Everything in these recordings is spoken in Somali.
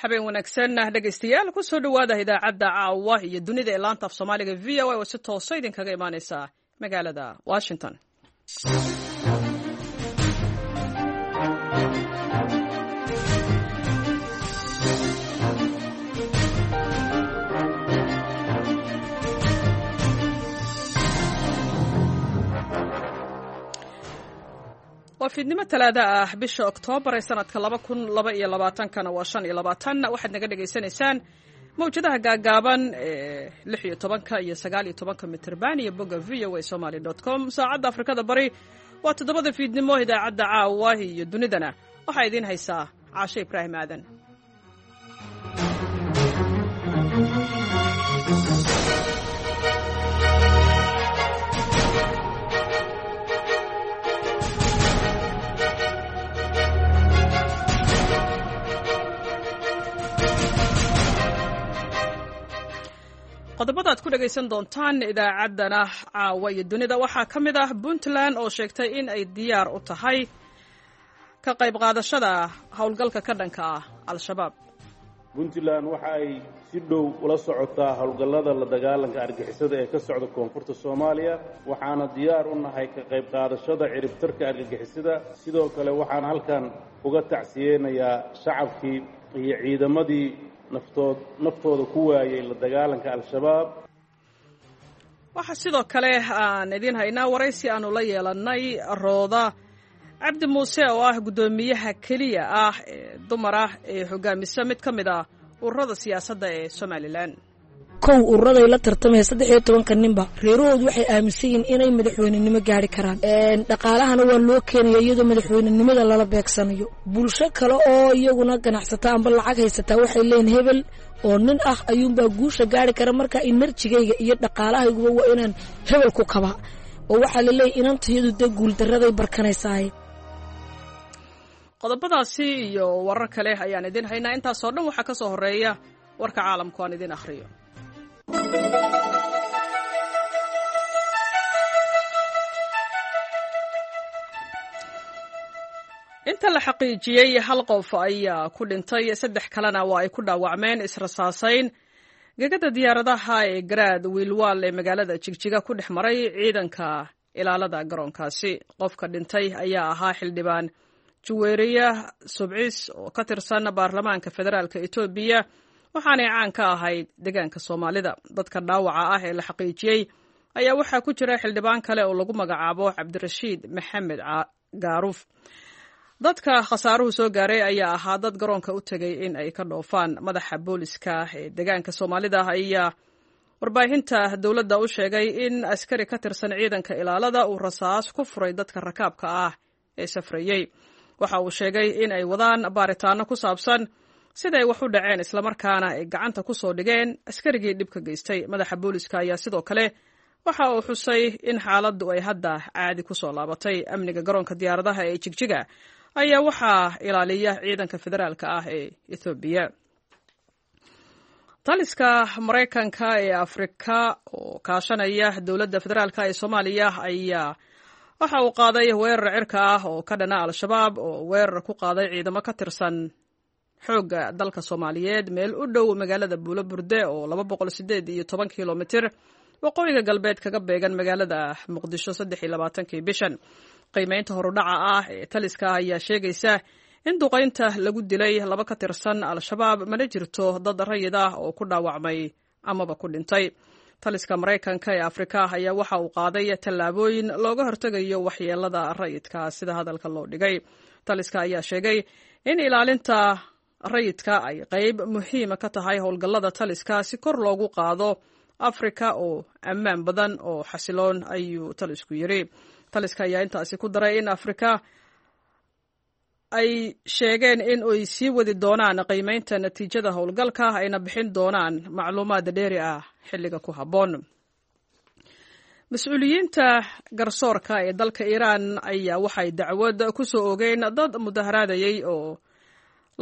Habeen wanaagsan, dhegaystayaal. Kusoo dhowaada idaacadda caawa iyo dunida ee laanta af Soomaaliga VOA oo si toosa idinkaga imaaneysa magaalada Washington. Waa fiidnimo Talaada ah, bisha Oktoobar ee sanadka 2022-kana waa 25. Waxaad naga dhagaysanaysaan mawjadaha gaagaaban ee 16-ka iyo 19-ka mitirban iyo bogga voasomaly.com. Saacadda Afrikada Bari waa 7-da fiidnimo. Idaacadda caawa iyo dunidana waxaa idiin haysaa Caashe Ibraahim Aadan. Qodobada aad ku dhegaysan doontaan idaacaddana caawa iyo dunida waxaa ka mid ah Puntland oo sheegtay in ay diyaar u tahay ka qayb qaadashada howlgalka ka dhanka ah Al-Shabaab. Puntland waxa ay si dhow ula socotaa howlgallada la dagaalanka argagixisada ee ka socda koonfurta Soomaaliya, waxaana diyaar u nahay ka qayb qaadashada ciribtarka argagixisada. Sidoo kale waxaan halkan uga tacsiyeynayaa shacabkii iyo ciidamadii naftood naftooda ku waayay la dagaalanka Al-Shabaab. Waxaa sidoo kale aan idiin haynaa waraysi aanu la yeelannay Rooda Cabdi Muuse oo ah guddoomiyaha keliya ah ee dumar ah ee hogaamisa mid ka mid ah ururada siyaasadda ee Somalilan. Kow, ururaday la tartamaya 13-ka ninba reerahoodu waxay aaminsan yihiin inay madaxweynenimo gaari karaan. Dhaqaalahana waa loo keenaya iyadoo madaxweynenimada lala beegsanayo. Bulsho kale oo iyaguna ganacsata amba lacag haysataa waxay leeyihin hebel oo nin ah ayuunbaa guusha gaari kara, marka enerjigayga iyo dhaqaalahayguba waa inaan hebel ku kabaa, oo waxaa laleeyahy inantayadu dee guuldaraday barkanaysaay. Qodobadaasi iyo warar kale ayaan idiin haynaa. Intaasoo dhan waxaa ka soo horeeya warka caalamku aan idiin akhriyo. Inta la xaqiijiyey hal qof ayaa ku dhintay, saddex kalena waa ay ku dhaawacmeen israsaasayn gegada diyaaradaha ee Garaad Wiilwaal ee magaalada Jigjiga ku dhex maray ciidanka ilaalada garoonkaasi. Qofka dhintay ayaa ahaa xildhibaan Juweeriya Subcis oo ka tirsan baarlamaanka federaalka Etoobiya, waxaanay caan ka ahayd deegaanka Soomaalida. Dadka dhaawaca ah ee la xaqiijiyey ayaa waxaa ku jira xildhibaan kale oo lagu magacaabo Cabdirashiid Maxamed Gaaruuf. Dadka khasaaruhu soo gaaray ayaa ahaa dad garoonka u tegay in ay ka dhoofaan. Madaxa booliska ee deegaanka Soomaalida ayaa warbaahinta dowladda u sheegay in askari ka tirsan ciidanka ilaalada uu rasaas ku furay dadka rakaabka ah ee safrayey. Waxa uu sheegay in ay wadaan baaritaano ku saabsan siday wax u dhaceen, islamarkaana ay gacanta ku soo dhigeen askarigii dhibka geystay. Madaxa booliska ayaa sidoo kale waxa uu xusay in xaaladdu ay hadda caadi ku soo laabatay. Amniga garoonka diyaaradaha ee Jigjiga ayaa waxaa ilaaliya ciidanka federaalka ah ee Ethoobiya. Taliska Maraykanka ee Afrika oo kaashanaya dowladda federaalka ee Soomaaliya ayaa waxa uu qaaday weerar cirka ah oo ka dhana Al-Shabaab oo weerar ku qaaday ciidamo ka tirsan xoogga dalka Soomaaliyeed meel u dhow magaalada Buulo Burde oo 218 kilomitir waqooyiga galbeed kaga beegan magaalada Muqdisho 23-kii bishan. Qiimeynta horudhaca ah ee taliska ayaa sheegaysa in duqaynta lagu dilay laba ka tirsan Al-Shabaab, mana jirto dad rayid ah oo ku dhaawacmay amaba ku dhintay. Taliska Maraykanka ee Afrika ayaa waxa uu qaaday tallaabooyin looga hortegayo waxyeelada rayidka, sida hadalka loo dhigay. Taliska ayaa sheegay in ilaalinta rayidka ay qayb muhiima ka tahay howlgallada taliska si kor loogu qaado Afrika oo ammaan badan oo xasiloon, ayuu talisku yiri. Taliska ayaa intaasi ku daray in Afrika ay sheegeen in ay sii wadi doonaan qiimeynta natiijada howlgalka, ayna bixin doonaan macluumaad dheeri ah xilliga ku habboon. Mas-uuliyiinta garsoorka ee dalka Iiraan ayaa waxay dacwad ku soo oogeen dad mudaharaadayey oo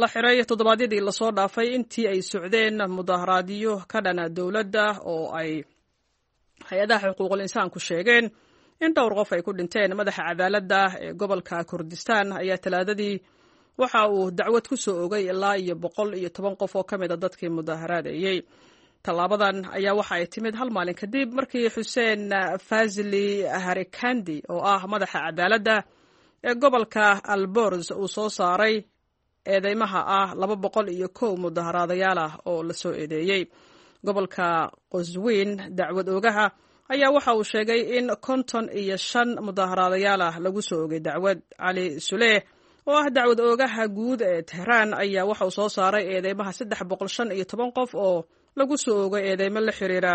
la xiray toddobaadyadii lasoo dhaafay intii ay socdeen mudaharaadyo ka dhana dowladda oo ay hay-adaha xuquuqul insaanku sheegeen in dhowr qof ay ku dhinteen. Madaxa cadaaladda ee gobolka Kurdistan ayaa Talaadadii Waxa uu dacwad ku soo ogay ilaa iyo 110 qof oo ka mid a dadkii mudaharaadayey. Tallaabadan ayaa waxa ay timid hal maalin kadib markii Xuseen Fazli Harikandi, oo ah madaxa cadaaladda ee gobolka Alborz, uu soo saaray eedeymaha ah 201 mudaharaadayaal ah oo lasoo eedeeyey. Gobolka Qosweyn, dacwad oogaha ayaa waxa uu sheegay in 55 mudaharaadayaal ah lagu soo ogay dacwad. Cali Suleeh, oo ah dacwad oogaha guud ee Tehraan, ayaa waxa uu soo saaray eedeymaha 315 qof oo lagu soo oogay eedeymo la xiriira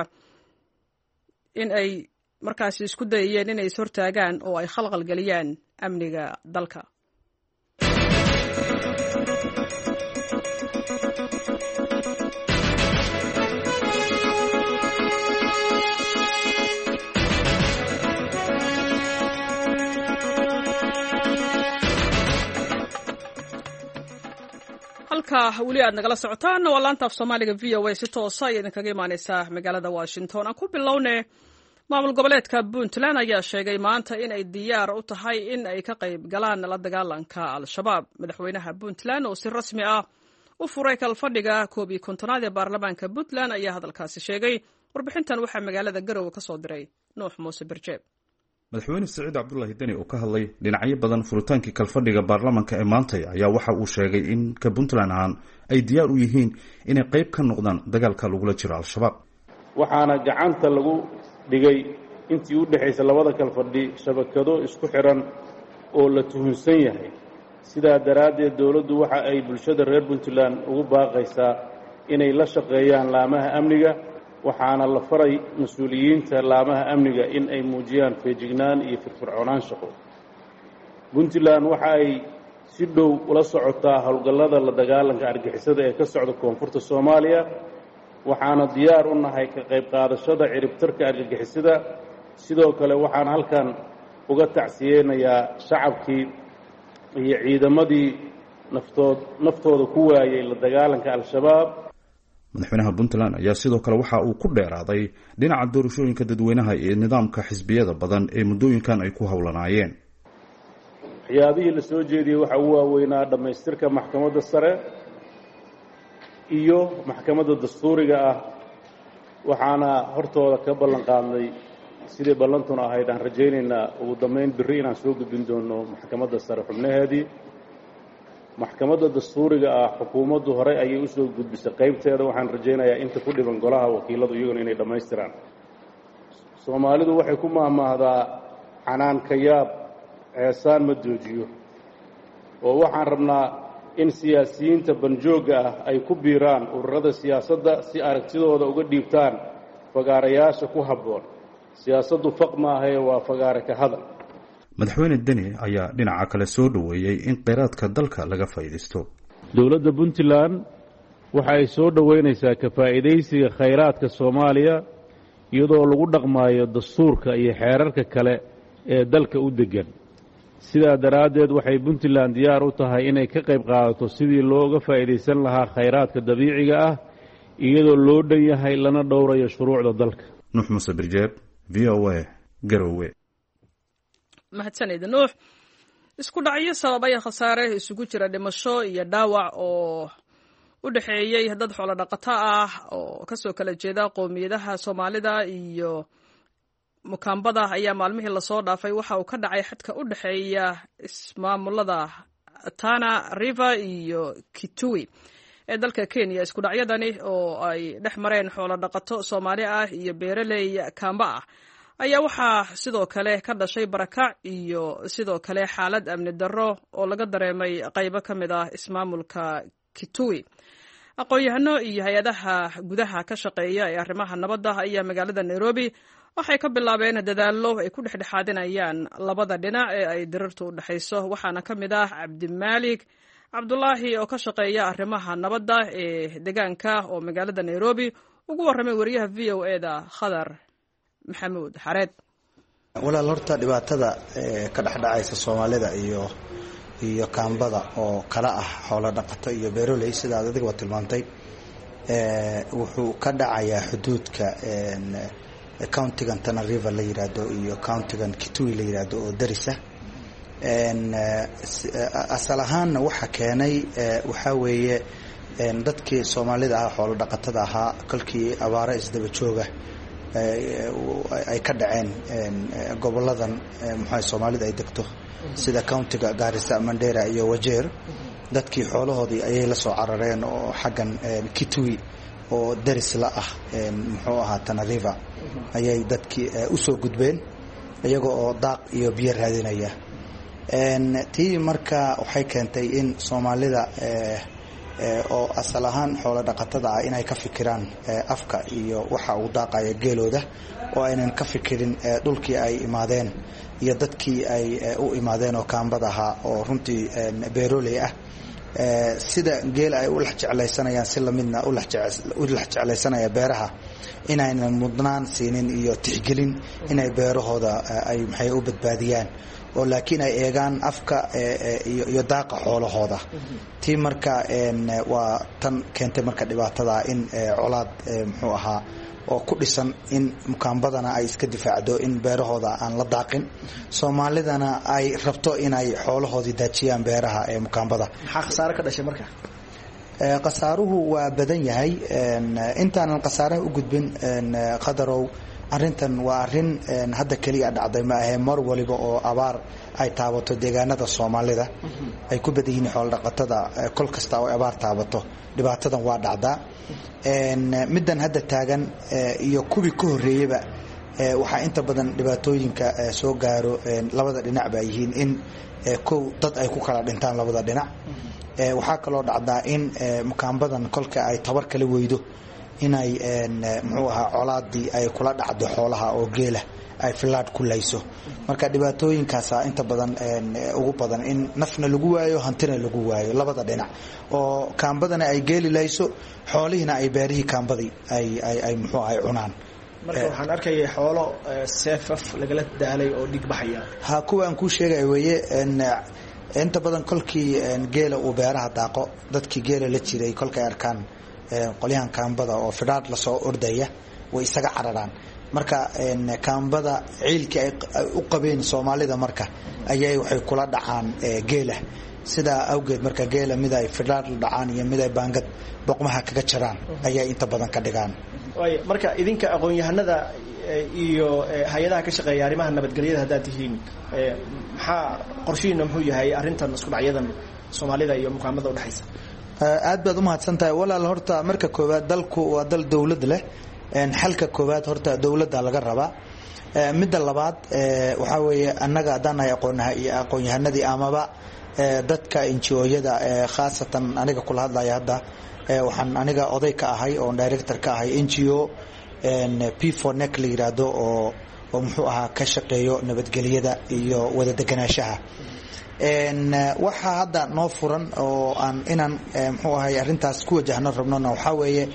in ay markaasi isku dayayeen inay ishortaagaan oo ay khalqal geliyaan amniga dalka. Halka weli aad nagala socotaan waa laanta af Soomaaliga VOA, si toosa ay idinkaga imaaneysaa magaalada Washington. Aan ku bilowne, maamul goboleedka Puntland ayaa sheegay maanta in ay diyaar u tahay in ay ka qayb galaan la dagaalanka Al-Shabaab. Madaxweynaha Puntland oo si rasmi ah u furay kalfadhiga 51aad ee baarlamaanka Puntland ayaa hadalkaasi sheegay. Warbixintan waxaa magaalada Garowe ka soo diray Nuux Muuse Birjeeb. Madaxweyne Saciid Cabdulaahi Deni oo ka hadlay dhinacyo badan furitaankii kalfadhiga baarlamaanka ee maantay ayaa waxa uu sheegay in ka Puntland ahaan ay diyaar u yihiin inay qayb ka noqdaan dagaalka lagula jiro Al-Shabaab. Waxaana gacanta lagu dhigay intii u dhexaysa labada kalfadhi shabakado isku xidhan oo la tuhunsan yahay. Sidaa daraaddeed, dowladdu waxa ay bulshada reer Puntland ugu baaqaysaa inay la shaqeeyaan laamaha amniga, waxaana la faray mas-uuliyiinta laamaha amniga in ay muujiyaan feejignaan iyo firfircoonaan shaqo. Puntland waxa ay si dhow ula socotaa howlgallada la dagaalanka argixisada ee ka socda koonfurta Soomaaliya, waxaana diyaar u nahay ka qayb qaadashada ciribtarka argagixisada. Sidoo kale, waxaan halkan uga tacsiyeynayaa shacabkii iyo ciidamadii naftooda ku waayey la dagaalanka Al-Shabaab. Madaxweynaha Puntland ayaa sidoo kale waxa uu ku dheeraaday dhinaca doorashooyinka dadweynaha iyo nidaamka xisbiyada badan ee muddooyinkan ay ku howlanaayeen. Waxyaabihii la soo jeediyey waxaa ugu waaweynaa dhammaystirka maxkamadda sare iyo maxkamadda dastuuriga ah, waxaana hortooda ka ballan qaadnay, sidii ballantuna ahayd, aan rajaynaynaa ugu dambayn birri inaan soo gudbin doono maxkamadda sare xubnaheedii. Maxkamadda dastuuriga ah xukuumaddu horey ayay usoo gudbisay qaybteeda, waxaan rajaynayaa inta ku dhiban golaha wakiiladu iyaguna inay dhammaystiraan. Soomaalidu waxay ku mahmaahdaa "Canaanka yaab ceesaan ma joojiyo", oo waxaan rabnaa in siyaasiyiinta banjoogga ah ay ku biiraan ururada siyaasadda si aragtidooda uga dhiibtaan fagaarayaasha ku habboon. Siyaasaddu faq maahae, waa fagaare ka hadal. Madaxweyne Deni ayaa dhinaca kale soo dhoweeyey in kheyraadka dalka laga faa'iidaysto. Dowladda Puntland waxa ay soo dhoweynaysaa ka faa'iidaysiga khayraadka Soomaaliya, iyadoo lagu dhaqmaayo dastuurka iyo xeerarka kale ee dalka u deggan. Sidaa daraaddeed, waxay Puntland diyaar u tahay inay ka qayb qaadato sidii looga faa'iidaysan lahaa khayraadka dabiiciga ah, iyadoo loo dhan yahay lana dhowrayo shuruucda dalka. Nuux Muuse Birjeeb, VOA, Garowe. Mahadsanid, Nuux. Isku dhacyo sababay khasaare isugu jira dhimasho iyo dhaawac oo u dhexeeyey dad xoolo dhaqato ah oo kasoo kala jeeda qowmiyadaha Soomaalida iyo Mukaambada ayaa maalmihii lasoo dhaafay waxa uu ka dhacay xadka u dhexeeya ismaamulada Tana River iyo Kitui ee dalka Kenya. Isku dhacyadani oo ay dhex mareen xoolo dhaqato Soomaali ah iyo beeraley Kaamba ah ayaa waxaa sidoo kale ka dhashay barakac iyo sidoo kale xaalad amni darro oo laga dareemay qaybo ka mid ah ismaamulka Kitui. Aqoon-yahano iyo hay-adaha gudaha ka shaqeeya ee arrimaha nabadda ayaa magaalada Nairobi waxay ka bilaabeen dadaallo ay ku dhexdhexaadinayaan labada dhinac ee ay dirirtu u dhexayso, waxaana ka mid ah Cabdimaalik Cabdulaahi oo ka shaqeeya arrimaha nabadda ee deegaanka oo magaalada Nairobi ugu warramay wariyaha VOA-da Khadar Maxamuud Xareed. Walaal, horta dhibaatada ka dhexdhacaysa Soomaalida iyo Kaambada oo kala ah xoolo dhaqato iyo beeroley, sida aad adigaba tilmaantay, wuxuu ka dhacayaa xuduudka countigan Tana River la yiraahdo iyo countigan Kitui la yiraahdo oo darisa. Asal ahaanna waxa keenay waxaa weeye dadkii Soomaalida ahaa, xoolo dhaqatada ahaa, kolkii abaaro isdaba jooga ay ka dhaceen goboladan muxua Soomaalida ay degto, sida countiga Gaarisa, Mandera iyo Wajeer, dadkii xoolahoodii ayay la soo carareen oo xaggan Kitui oo daris la ah muxuu ahaa Tana River ayay dadkii usoo gudbeen, iyaga oo daaq iyo biyo raadinaya. Tii marka waxay keentay in Soomaalida oo asal ahaan xoolo dhaqatada ah inay ka fikiraan afka iyo waxa uu daaqaya geelooda, oo aynan ka fikirin dhulkii ay imaadeen iyo dadkii ay u imaadeen oo kaambad ahaa oo runtii beeroley ah. Sida geela ay u lex jeclaysanayaan si lamidna u lex jeclaysanaya beeraha, inaynan mudnaan siinin iyo tixgelin inay beerahooda ay maxay u badbaadiyaan, oo laakiin ay eegaan afka iyo daaqa xoolahooda. Tii marka waa tan keentay marka dhibaatada in colaad muxuu ahaa oo ku dhisan in mukaambadana ay iska difaacdo in beerahooda aan la daaqin, Soomaalidana ay rabto inay xoolahoodii daajiyaan beeraha ee mukaambada. Maxaa khasaare ka dhashay marka? Khasaaruhu waa badan yahay. Intaanan khasaaraha u gudbin, Qadarow, arrintan waa arrin hadda keliya dhacday ma ahee, mar waliba oo abaar ay taabato deegaanada Soomaalida ay ku badan yihiin xoolo dhaqatada, kol kasta oo abaar taabato dhibaatadan waa dhacdaa. Middan hadda taagan iyo kuwii ka horreeyeyba, waxaa inta badan dhibaatooyinka soo gaaro labada dhinac ba yihiin in kow dad ay ku kala dhintaan labada dhinac. Waxaa kaloo dhacdaa in mukaambadan kolka ay tabar kala weydo inay muxuu ahaa colaadii ay kula dhacdo xoolaha oo geela ay filaadh ku layso. Marka dhibaatooyinkaasa inta badan ugu badan, in nafna lagu waayo, hantina lagu waayo labada dhinac, oo kaambadana ay geeli layso, xoolihiina ay beerihii kaambadii ay muxuu ahay cunaan. Marka waxaan arkayay xoolo seefaf lagala daalay oo dhig baxaya. Ha, kuwa aan kuu sheegay weeye. Inta badan kolkii geela uu beeraha daaqo, dadkii geela la jiray kolkay arkaan qolyahan kaambada oo fidhaadh lasoo ordaya, way isaga cararaan. Marka kaambada ciilkii ay u qabeen Soomaalida marka ayay waxay kula dhacaan geela. Sidaa awgeed marka geela mid ay fidhaadh la dhacaan iyo mid ay baangad boqmaha kaga jaraan ayay inta badan ka dhigaan. Waay, marka idinka aqoon-yahanada iyo hay-adaha ka shaqeeya arrimaha nabadgelyada haddaad tihiin, maxaa qorshihiina muxuu yahay arrintan isku dhacyadan Soomaalida iyo mukaamada udhexaysa? Aad baad umahadsan tahay, walaal. Horta marka koowaad, dalku waa dal dowlad leh. Xalka koowaad horta dowladda laga rabaa. Midda labaad waxaa weeye, annaga haddaan nahay aqoonyaha iyo aqoon-yahanadii amaba dadka NGO-yada, khaasatan aniga kula hadlaya hadda, waxaan aniga oday ka ahay oon director ka ahay NGO P4NEC la yiraahdo oo muxuu ahaa ka shaqeeyo nabadgelyada iyo wada deganaanshaha. Waxaa hadda noo furan oo aan inaan muxuu ahay arrintaas ku wajahno rabnona waxaa weeye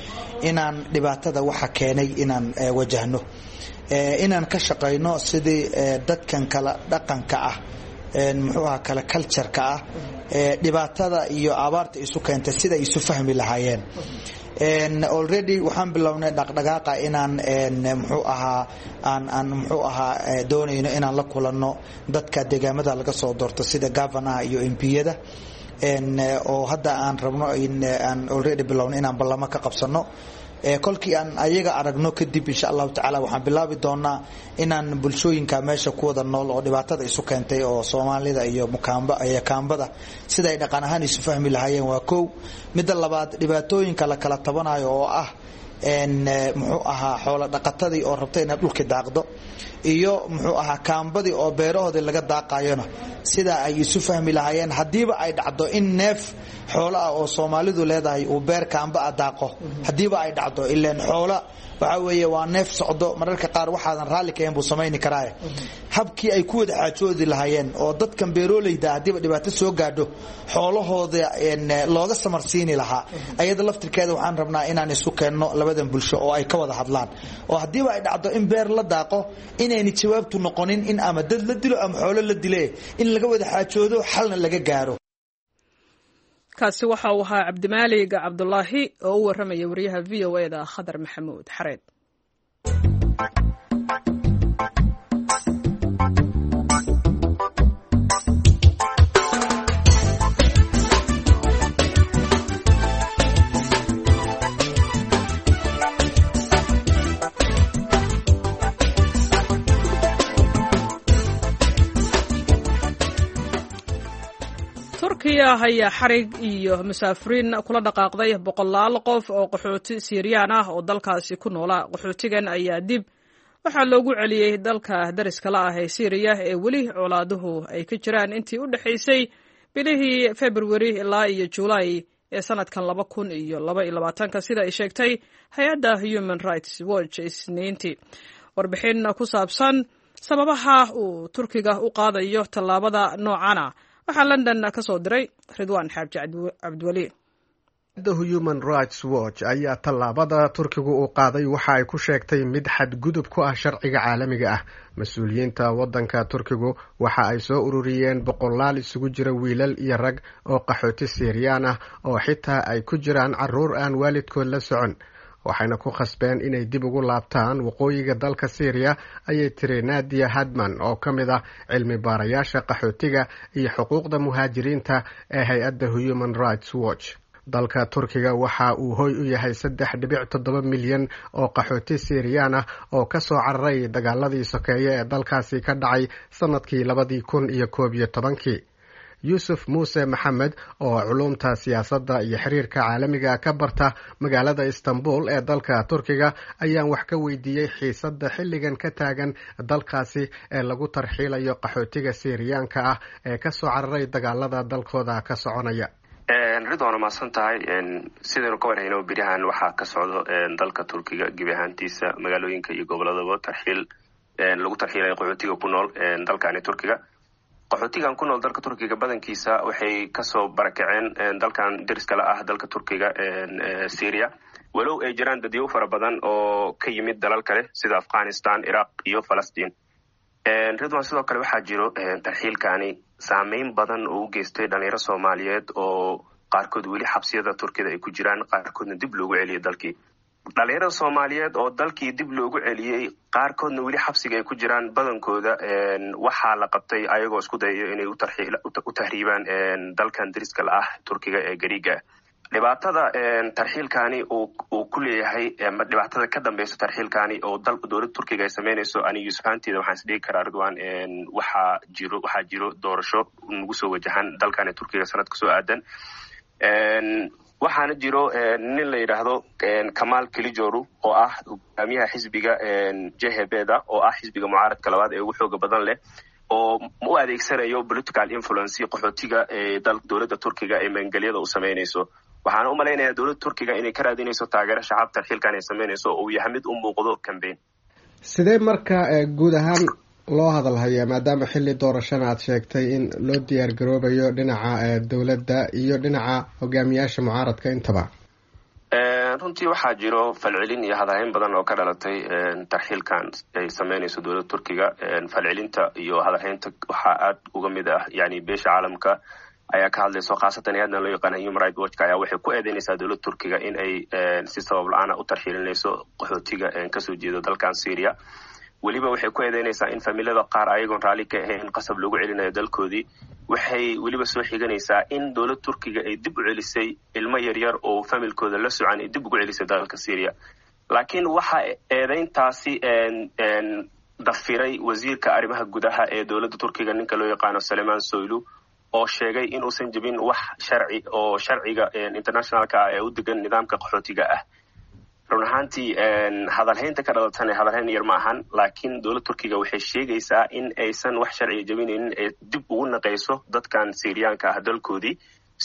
inaan dhibaatada waxa keenay inaan wajahno, inaan ka shaqayno sidii dadkan kala dhaqanka ah, muxuu ahaa kala cultureka ah, dhibaatada iyo abaarta isu keentay sida isu fahmi lahaayeen. Already waxaan bilownay dhaqdhaqaaqa inaan muxuu ahaa aan muxuu ahaa doonayno inaan la kulanno dadka deegaamada laga soo doorto, sida governaha iyo MP-yada, oo hadda aan rabno in aan already bilownay inaan ballamo ka qabsano. Kolkii aan ayaga aragno kadib, insha Allahu tacaala, waxaan bilaabi doonaa inaan bulshooyinka meesha ku wada nool oo dhibaatada isu keentay oo Soomaalida iyo mukaamba iyo kaambada sida ay dhaqan ahaan isu fahmi lahaayeen, waa kow. Midda labaad, dhibaatooyinka la kala tabanayo oo ah muxuu ahaa xoolo dhaqatadii oo rabta inaad dhulki daaqdo iyo muxuu ahaa kaambadii oo beerahoodii laga daaqayona, sida ay isu fahmi lahaayeen. Haddiiba ay dhacdo in neef xoolo ah oo Soomaalidu leedahay uu beer kaamba ah daaqo, haddiiba ay dhacdo, ileen xoola waxaa weeye waa neef socdo, mararka qaar waxaadan raalli kahayn buu samayni karaaye, habkii ay ku wada xaajoodi lahaayeen oo dadkan beeroleyda haddiiba dhibaato soo gaadho xoolahooda looga samarsiini lahaa, ayada laftirkeeda waxaan rabnaa inaan isu keenno labadan bulsho oo ay ka wada hadlaan, oo haddiiba ay dhacdo in beer la daaqo inayna jawaabtu noqonin in ama dad la dilo ama xoolo la dile, in laga wada xaajoodo, xalna laga gaaro. Kaasi waxa uu ahaa Cabdimaalig Cabdulaahi oo u warramaya wariyaha VOA-da Khadar Maxamuud Xareed. Turkiga ayaa xarig iyo musaafiriin kula dhaqaaqday boqolaal qof oo qaxooti Siiriyaan ah oo dalkaasi ku noolaa. Qaxootigan ayaa dib waxaa loogu celiyey dalka dariska la ah ee Siiriya ee weli colaaduhu ay ka jiraan intii u dhexaysay bilihii Februari ilaa iyo Juulaay ee sanadkan 2022-ka, sida ay sheegtay hay-adda Human Rights Watch Isniintii. Warbixin ku saabsan sababaha uu Turkiga u qaadayo tallaabada noocana waxaa London ka soo diray Ridwaan Xaaji Cabdiweli. The Human Rights Watch ayaa tallaabada Turkigu uu qaaday waxa ay ku sheegtay mid xadgudub ku ah sharciga caalamiga ah. Mas-uuliyiinta waddanka Turkigu waxa ay soo ururiyeen boqolaal isugu jira wiilal iyo rag oo qaxooti Siiriyaan ah, oo xitaa ay ku jiraan caruur aan waalidkood la socon, waxayna ku khasbeen inay dib ugu laabtaan waqooyiga dalka Syriya, ayay tiri Nadia Hadman oo ka mid ah cilmi baarayaasha qaxootiga iyo xuquuqda muhaajiriinta ee hay-adda Human Rights Watch. Dalka Turkiga waxa uu hoy u yahay 3.7 milyan oo qaxooti Siiriyaan ah oo kasoo cararay dagaaladii sokeeye ee dalkaasi ka dhacay sanadkii 2011-kii. Yuusuf Muuse Maxamed oo culuumta siyaasadda iyo xiriirka caalamiga ka barta magaalada Istanbul ee dalka Turkiga ayaan wax ka weydiiyey xiisadda xilligan ka taagan dalkaasi ee lagu tarxiilayo qaxootiga Siiriyaanka ah ee kasoo cararay dagaalada dalkooda ka soconaya. Ridwaana, mahadsan tahay. Sidaynu ka warhayno, beryahan waxaa ka socdo dalka Turkiga gebi ahaantiisa, magaalooyinka iyo goboladaba, tarxiil lagu tarxiilayo qaxootiga ku nool dalkani Turkiga. Qaxootigan ku nool dalka Turkiga badankiisa waxay kasoo barakaceen dalkan deriskala ah dalka Turkiga, Syria, walow ay jiraan dadyow fara badan oo ka yimid dalal kale sida Afghanistan, Iraq iyo Falastiin. Ridwan, sidoo kale waxaa jiro tarxiilkani saameyn badan oo u geystay dhalinyaro Soomaaliyeed oo qaarkood weli xabsiyada Turkida ay ku jiraan, qaarkoodna dib loogu celiyay dalkii. Dhalinyarada Soomaaliyeed oo dalkii dib loogu celiyey, qaarkoodna weli xabsiga ay ku jiraan, badankooda waxaa la qabtay ayagoo isku dayayo inay u tahriibaan dalkan deriska la ah Turkiga ee Gariiga. Dhibaatada tarxiilkani uu ku leeyahay, dhibaatada ka dambeysa tarxiilkani oo dowladda Turkiga ay sameynayso, ani Yuusuf ahaanteeda waxaan isdhigi karaa, Ridwan, waxaa jiro doorasho nagu soo wajahan dalkani Turkiga sanadka soo aadan. Waxaana jiro nin la yidhaahdo Kamaal Kilijoru oo ah hogaamiyaha xisbiga Jehebeda, oo ah xisbiga mucaaradka labaad ee ugu xooga badan leh, oo u adeegsanayo political influence qaxootiga ee dowladda Turkiga ee maangelyada u sameynayso. Waxaana u malaynayaa dowladda Turkiga inay ka raadinayso taageero shacab tarxiilkan ay sameynayso oo uu yahay mid u muuqdo campaign. Sidee marka guud ahaan loo hadal hayaa, maadaama xilli doorashana aad sheegtay in loo diyaar garoobayo, dhinaca dowladda iyo dhinaca hogaamiyaasha mucaaradka intaba? Runtii waxaa jiro falcelin iyo hadalhayn badan oo ka dhalatay tarxiilkan ay sameynayso dowladda Turkiga. Falcelinta iyo hadalhaynta waxaa aad uga mid ah, yani, beesha caalamka ayaa ka hadlayso, khaasatan hay-addan loo yaqaana Human Right Watchka ayaa waxay ku eedeynaysaa dowladda Turkiga in ay si sabab la-aana u tarxiilinayso qaxootiga kasoo jeeda dalkan Syria. Weliba waxay ku eedeynaysaa in familada qaar ayagoon raalli ka ahayn qasab loogu celinayo dalkoodii. Waxay weliba soo xiganaysaa in dowladda Turkiga ay dib u celisay ilmo yaryar oo familkooda la socan, ay dib ugu celisay dalka Syria. Laakiin waxa eedeyntaasi dafiray wasiirka arrimaha gudaha ee dowladda Turkiga, ninka loo yaqaano Saleman Soylu, oo sheegay inuusan jebin wax sharci oo sharciga internationalka ah ee u degan nidaamka qaxootiga ah. Run ahaantii, hadalhaynta ka dhalatana hadalhayn yar ma ahan, laakiin dowladda Turkiga waxay sheegaysaa in aysan wax sharciga jebinaynin ee dib ugu naqayso dadkan Siiriyaanka ah dalkoodii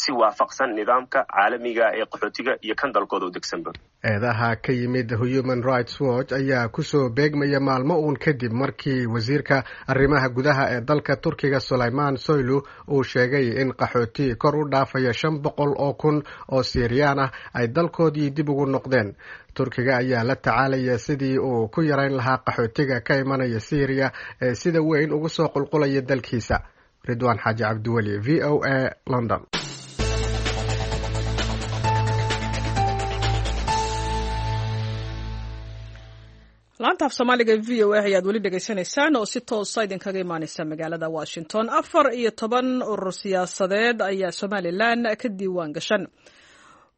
si waafaqsan nidaamka caalamiga ee qaxootiga iyo kan dalkooda u degsanba. Eedaha ka yimid Human Rights Watch ayaa kusoo beegmaya maalmo uun kadib markii wasiirka arrimaha gudaha ee dalka Turkiga, Sulayman Soylu, uu sheegay in qaxooti kor u dhaafaya 500,000 oo Siiriyaan ah ay dalkoodii dib ugu noqdeen. Turkiga ayaa la tacaalaya sidii uu ku yarayn lahaa qaxootiga ka imanaya Syriya ee sida weyn ugu soo qulqulaya dalkiisa. Ridwaan Xaaji Cabdiweli, VOA, London. Laanta af Soomaaliga VOA ayaad weli dhegaysanaysaan oo si toosa idinkaga imaaneysa magaalada Washington. 14 urur siyaasadeed ayaa Somalilan ka diiwaan gashan.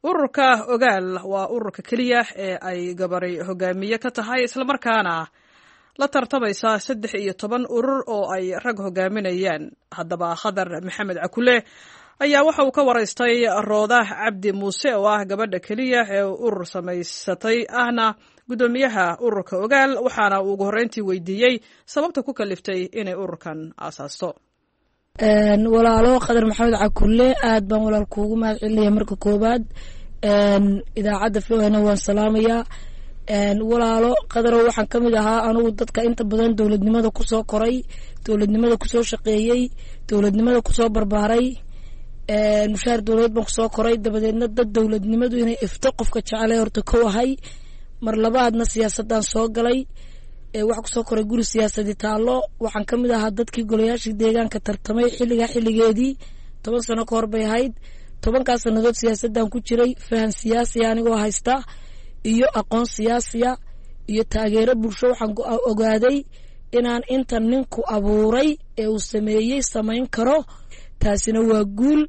Ururka Ogaal waa ururka keliya ee ay gabari hogaamiye ka tahay, islamarkaana la tartamaysa 13 urur oo ay rag hogaaminayaan. Haddaba, Khadar Maxamed Cakule ayaa waxa uu ka waraystay Roodah Cabdi Muuse oo ah gabadha keliya ee urur samaysatay ahna guddoomiyaha ururka Ogaal, waxaana uu ugu horreyntii weydiiyey sababta ku kaliftay inay ururkan aasaasto. Walaalo Khadar Maxamed Cakulle, aad baan walaal kuugu mahad celinaya marka koowaad. Idaacadda VOA na waan salaamayaa. Walaalo Khadarow, waxaan ka mid ahaa anugu dadka inta badan dowladnimada kusoo koray, dowladnimada kusoo shaqeeyey, dowladnimada kusoo barbaaray. Mushaar dowladeed baan kusoo koray, dabadeedna dad dowladnimadu inay ifto qofka jecelay horta kow ahay. Mar labaadna siyaasadaan soo galay. Waxaa kusoo koray guri siyaasadi taallo. Waxaan ka mid ahaa dadkii golayaashii deegaanka tartamay xilligaa xilligeedii, 10 sano ka hor bay ahayd. 10kaas sanadood siyaasaddan ku jiray, fahan siyaasiya anigoo haysta iyo aqoon siyaasiya iyo taageero bulsho, waxaan ogaaday inaan inta ninku abuuray ee uu sameeyey samayn karo. Taasina waa guul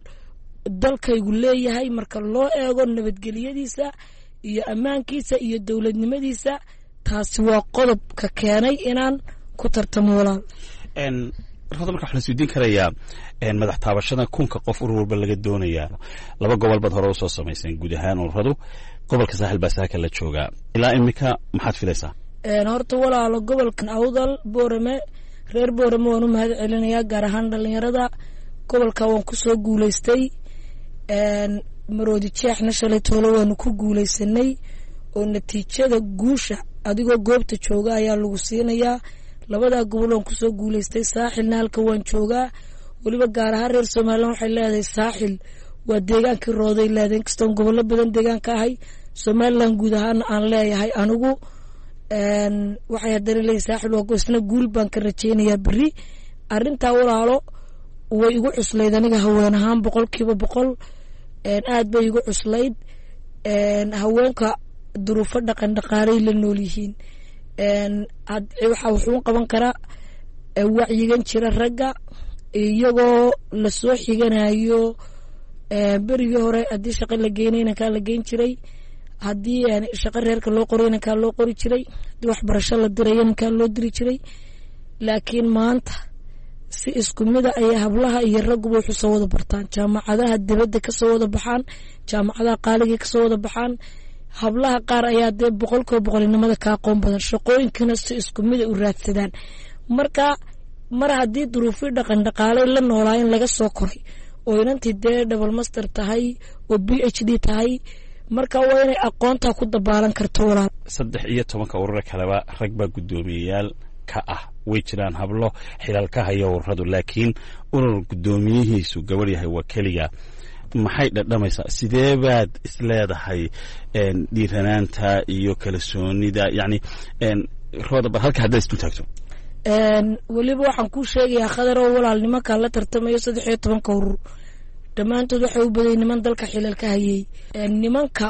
dalkaygu leeyahay marka loo eego nabadgelyadiisa iyo ammaankiisa iyo dowladnimadiisa. Taasi waa qodobka keenay inaan ku tartamo, walaal. Rooda, marka waxaa la isweydiin karayaa madax taabashada 1000ka qof urur walba laga doonayaa. Laba gobol baad hore usoo samayseen guud ahaan ururadu, gobolka Saaxil baa saaka la joogaa. Ilaa imika maxaad filaysaa? Horta walaalo, gobolkan Awdal, Boorame, reer Boorame waan u mahad celinayaa, gaar ahaan dhalinyarada gobolka. Waan kusoo guuleystay. Maroodi Jeexna shalay toole waanu ku guuleysanay, oo natiijada guusha adigoo goobta jooga ayaa lagu siinayaa. Labadaa gobol waan kusoo guuleystay. Saaxilna halka waan joogaa. Weliba gaar ahaan reer Somalilan waxay leedahay Saaxil waa deegaankii Rooday leedahay, inkastoon gobollo badan deegaanka ahay, Somalilan guud ahaana aan leeyahay anigu. Waxay haddana leeyahay Saaxil waa isna guul baan ka rajeynayaa berri. Arrintaa walaalo way igu cuslayd aniga haween ahaan, 100%. Aad bay igu cuslayd. Haweenka duruufo dhaqan dhaqaalay la nool yihiin. Waxaa wuxuun qaban karaa wacyigan jira ragga, iyagoo lasoo xiganayo berigii hore haddii shaqo la geynay inankaa la geyn jiray, haddii shaqo reerka loo qoray inankaa loo qori jiray, haddii waxbarasho la diray inankaa loo diri jiray. Laakiin maanta si isku mida ayay hablaha iyo ragguba wuxuu soo wada bartaan, jaamacadaha dibadda kasoo wada baxaan, jaamacadaha qaaligii kasoo wada baxaan. Hablaha qaar ayaa dee 100% inamada ka aqoon badan, shaqooyinkana si isku mida u raadsadaan. Marka mar haddii duruufii dhaqan dhaqaalay la noolaa in laga soo koray oo inantii dee double master tahay oo PhD tahay, marka waa inay aqoontaa ku dabaalan karto, walaal. 13ka urura kaleba rag baa guddoomiyeyaal ka ah. Way jiraan hablo xilaal ka haya ururadu, laakiin urur guddoomiyihiisu gabadh yahay waa keliga. Maxay dhadhamaysaa? Sidee baad isleedahay dhiiranaanta iyo kalsoonida, yacni Rooda, bal halka haddaad isdul taagto? Weliba waxaan kuu sheegayaa, Khadar oo walaal, nimankaan la tartamayo 13ka urur dhammaantood waxay u baday niman dalka xilal ka hayay. Nimanka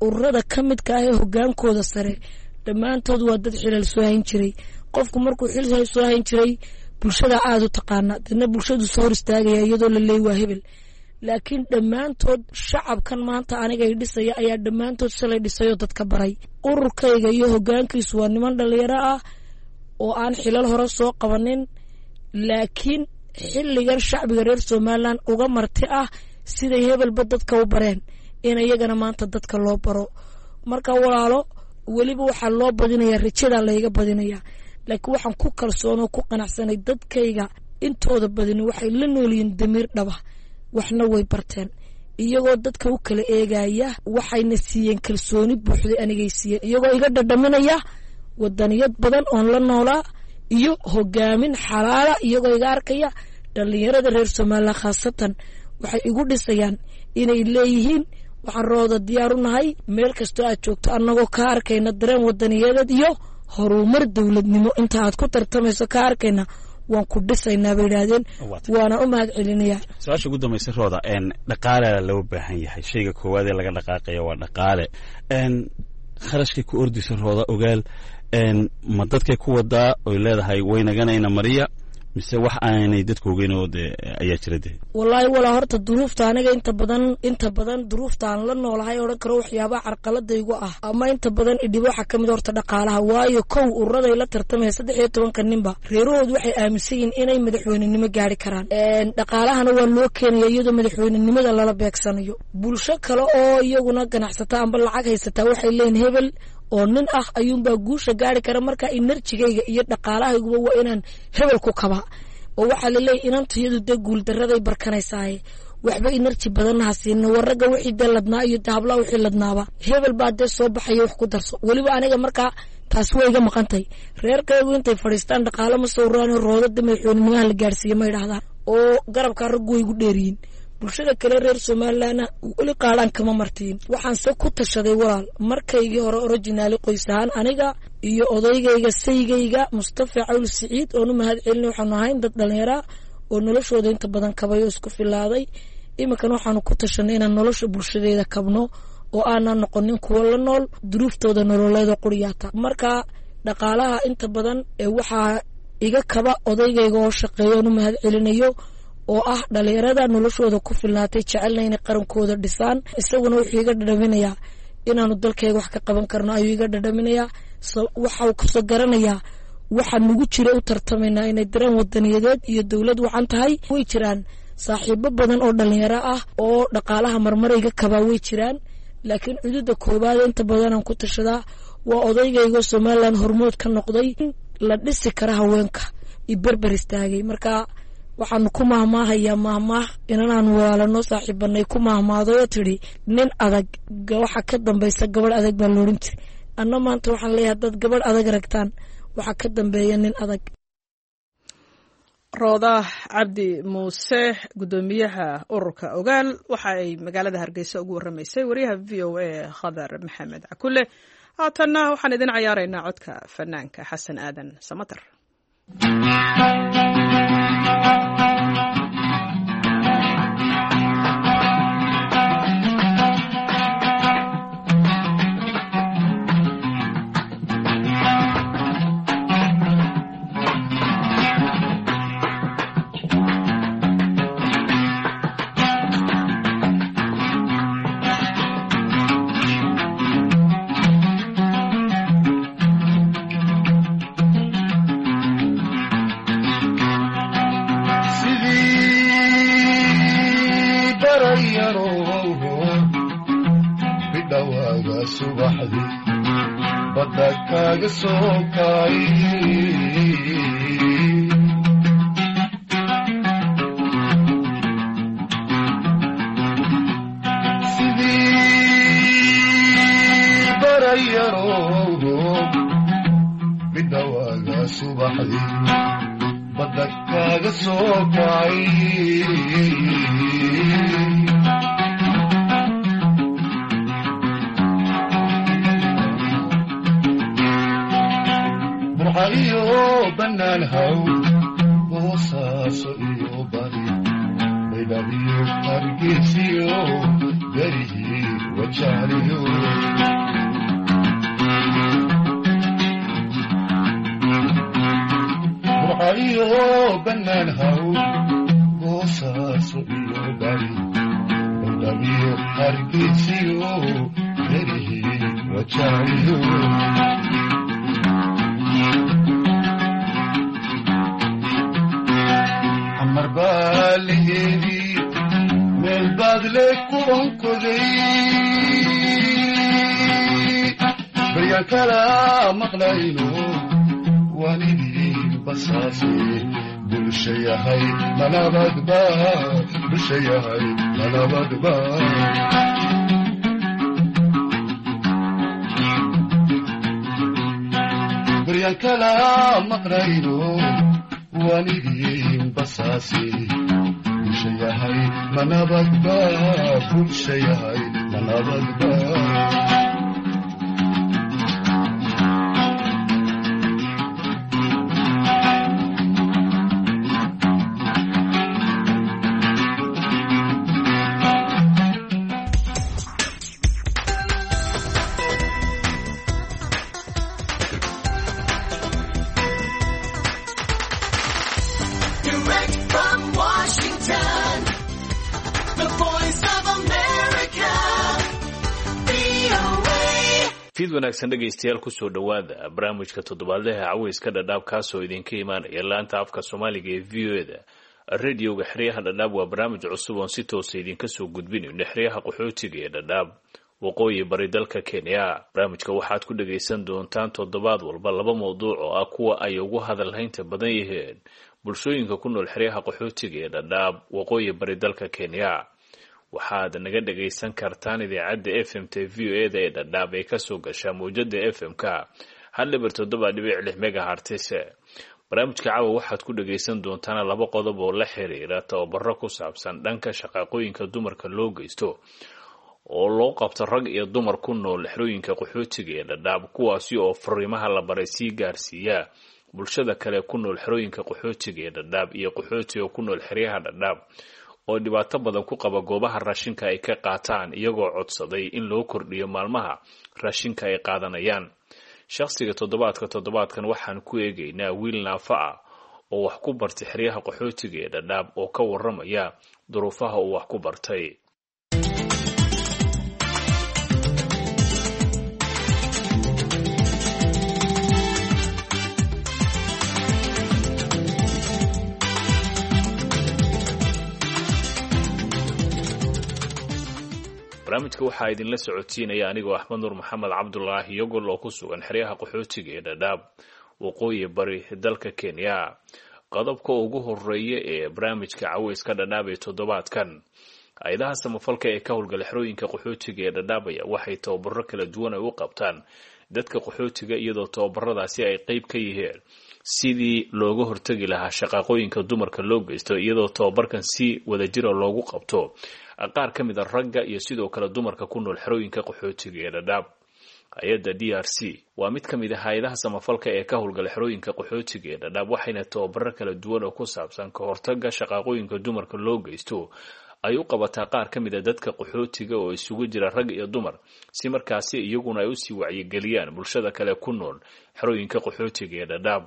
ururada ka midka ah ee hogaankooda sare dhammaantood waa dad xilal soo hayn jiray. Qofku markuu xil soo hayn jiray bulshada aada u taqaana, dadna bulshadu soo hor istaagaya iyadoo la leey waa hebel. Laakiin dhammaantood shacabkan maanta anigay dhisaya ayaa dhammaantood shalay dhisayoo dadka baray. Ururkayga iyo hogaankiisu waa niman dhalinyaro ah oo aan xilal hore soo qabanin, laakiin xilligan shacbiga reer Somalilan uga marti ah siday hebelba dadka u bareen in iyagana maanta dadka loo baro. Marka walaalo, weliba waxaa loo badinayaa, rajadaa layga badinayaa, laakiin waxaan ku kalsoonoo ku qanacsanay dadkayga intooda badini waxay la noolyihiin damiir dhaba, waxna way barteen, iyagoo dadka u kala eegaya waxayna siiyeen kalsooni buuxday. Anigay siiyeen iyagoo iga dhadhaminaya wadaniyad badan oon la noolaa iyo hogaamin xalaala, iyagoo iga arkaya dhalinyarada reer Somalilan khaasatan waxay igu dhisayaan inay leeyihiin waxaan Rooda diyaar u nahay meel kastoo aad joogto, annagoo ka arkayna dareen wadaniyadeed iyo horumar dowladnimo inta aad ku tartamayso ka arkayna, waan ku dhisaynaa bay yidhaahdeen, waana u mahad celinayaa. Su-aasha ugu dambaysa Rooda, dhaqaalea loo baahan yahay. Shayga koowaad ee laga dhaqaaqaya waa dhaqaale. Kharashkay ku ordaysa Rooda Ogaal, ma dadkay ku wadaa oy leedahay waynaganayna mariya, Mise wax aanay dadku ogeyn oo dee ayaa jira dee? Wallaahi walaa, horta duruufta aniga inta badan duruufta aan la noolahay odhan karo waxyaabaha carqaladaygu ah ama inta badan idhibo waxaa kamid horta dhaqaalaha. Waayo, kow, ururaday la tartamaya 13-ka ninba reerahoodu waxay aaminsan yihiin inay madaxweynenimo gaari karaan, dhaqaalahana waa loo keenaya iyadoo madaxweynenimada lala beegsanayo. Bulsho kale oo iyaguna ganacsata amba lacag haysataa waxay leeyihin hebel oo nin ah ayuunbaa guusha gaari kara. Marka energy-gayga iyo dhaqaalahayguba waa inaan hebel ku kabaa, oo waxaa laleeyahy inantayadu dee guuldaraday barkanaysaaye, waxba energy badanna ha siina. War ragga wixii dee ladnaa iyo dee hablaha wixii ladnaaba hebel baa dee soo baxaya, wax ku darso. Weliba aniga markaa taasi waa iga maqantay. Reerkaygu intay fadhiistaan dhaqaalo ma soo ururaan, roodada madaxweynenimaha la gaarsiiye ma idhahdaan, oo garabkaa raggu way igu dheeriyiin. Bulshada kale reer Somalilandna weli qaadhaan kama martiin. Waxaan se ku tashaday, walaal, markaygii hore originally qoys ahaan aniga iyo odaygayga, saygayga Mustafa Cawl Siciid, oonu mahad celinay, waxaanu ahayn dad dhallinyaraa oo noloshooda inta badan kabay oo isku filaaday. Iminkana waxaanu ku tashanay inaan nolosha bulshadeeda kabno oo aanan noqonin kuwo la nool duruuftooda nololeeda quriyaata. Marka dhaqaalaha inta badan ee waxaa iga kaba odaygayga oo shaqeeya, oonu mahad celinayo, oo ah dhalinyarada noloshooda ku filnaatay, jecelna inay qarankooda dhisaan. Isaguna wuxuu iga dhadhaminayaa inaanu dalkayga wax ka qaban karno ayuu iga dhadhaminayaa. Waxau kasoo garanayaa waxa nagu jira u tartamaynaa inay dareen wadaniyadeed iyo dowlad wacan tahay. Way jiraan saaxiibo badan oo dhalinyaro ah oo dhaqaalaha marmarayga kabaa, way jiraan, laakiin cududa koowaad inta badanaan ku tashadaa waa odaygaygo Somaliland hormood ka noqday la dhisi kara haweenka i berber istaagay. Marka waxaanu ku mahmaahayaa mahmaah inanaan walaalano saaxiibanay ku mahmaadayoo tidhi, "Nin adag waxa ka dambaysa gabadh adag," baa loodhan jiray. Anna maanta waxaan leeyahay, haddaad gabadh adag ragtaan, waxaa ka dambeeya nin adag. Rooda Cabdi Muuse, guddoomiyaha ururka Ogaal, waxa ay magaalada Hargeysa ugu warramaysay wariyaha VOA Khadar Maxamed Cakule. Haatanna waxaan idin cayaaraynaa codka fanaanka Xasan Aadan Samatar. Sidii barayarow bidhawaaga subaxdii badda kaaga soo kay, sidii barayarow bidhawaaga subaxdii badda kaaga soo kay, Burca iyo bannaan haw, Boosaaso iyo bari, Baydhabiyo Hargeysiyo, berihii Wajaaliyo, Burca iyo bannaan haw, Boosaaso iyo bari, Baydhabiyo Hargeysiyo, berihii Wajaaliyo, Xamar baa laheedii, meel baad le ku onkoday, baryaan kala maqlayno waan idin basaase. Bulsha yahay manabadba, bulsha yahay manabadba. Baryaan kala maqlayno waan idin basaase. Bulsha yahay manabadba, bulsha yahay manabadba. Fiid wanaagsan dhegaystayaal, kusoo dhowaada barnaamijka toddobaadlaha caweyska Dhadhaab, kaasoo idinka imaanaya laanta afka Soomaaliga ee VOA-da, radioga xeryaha Dhadhaab. Waa barnaamij cusub oon si toosa idinka soo gudbinayno xeryaha qaxootiga ee Dhadhaab, waqooyi bari dalka Kenya. Barnaamijka waxaad ku dhagaysan doontaan toddobaad walba laba mawduuc oo ah kuwa ay ugu hadalhaynta badan yihiin bulshooyinka ku nool xeryaha qaxootiga ee Dhadhaab, waqooyi bari dalka Kenya. Waxaad naga dhagaysan kartaan idaacadda FM t VOA-da ee Dhadhaab ee kasoo gashaa mawjada FM-ka 1.76 megahertz. Barnaamijka caawa waxaad ku dhagaysan doontaan laba qodob oo la xiriira tababaro ku saabsan dhanka shaqaaqooyinka dumarka loo geysto oo loo qabto rag iyo dumar ku nool xerooyinka qaxootiga ee Dhadhaab, kuwaasi oo fariimaha la baray sii gaarsiiya bulshada kale ku nool xerooyinka qaxootiga ee Dhadhaab, iyo qaxootiga ku nool xeryaha Dhadhaab oo dhibaato badan ku qaba goobaha raashinka ay ka qaataan, iyagoo codsaday in loo kordhiyo maalmaha raashinka ay qaadanayaan. Shakhsiga toddobaadka, toddobaadkan waxaan ku eegaynaa wiil naafa ah oo wax ku bartay xeryaha qaxootiga ee Dhadhaab oo ka waramaya duruufaha uu wax ku bartay. Barnaamijka waxaa idinla socodsiinaya anigoo Axmed Nuur Maxamed Cabdulaahi Yogol oo ku sugan xeryaha qaxootiga ee Dhadhaab, waqooyi bari dalka Kenya. Qodobka ugu horeeya ee barnaamijka caweyska Dhadhaab ee toddobaadkan, hay-adaha samafalka ee ka howlgala xerooyinka qaxootiga ee Dhadhaab ayaa waxay tababaro kala duwan ay u qabtaan dadka qaxootiga, iyadoo tababaradaasi ay qeyb ka yihiin sidii looga hortegi lahaa shaqaaqooyinka dumarka loo geysto, iyadoo tababarkan si wadajira loogu qabto qaar ka mid a ragga iyo sidoo kale dumarka ku nool xerooyinka qaxootiga ee Dhadhaab. Hay-adda DRC waa mid ka mid a hay-adaha samafalka ee ka howlgala xerooyinka qaxootiga ee Dhadhaab, waxayna tababaro kala duwan oo ku saabsan ka hortaga shaqaaqooyinka dumarka loo geysto ay u qabataa qaar ka mid a dadka qaxootiga oo isugu jira rag iyo dumar, si markaasi iyaguna ay usii wacyigeliyaan bulshada kale ku nool xerooyinka qaxootiga ee Dhadhaab.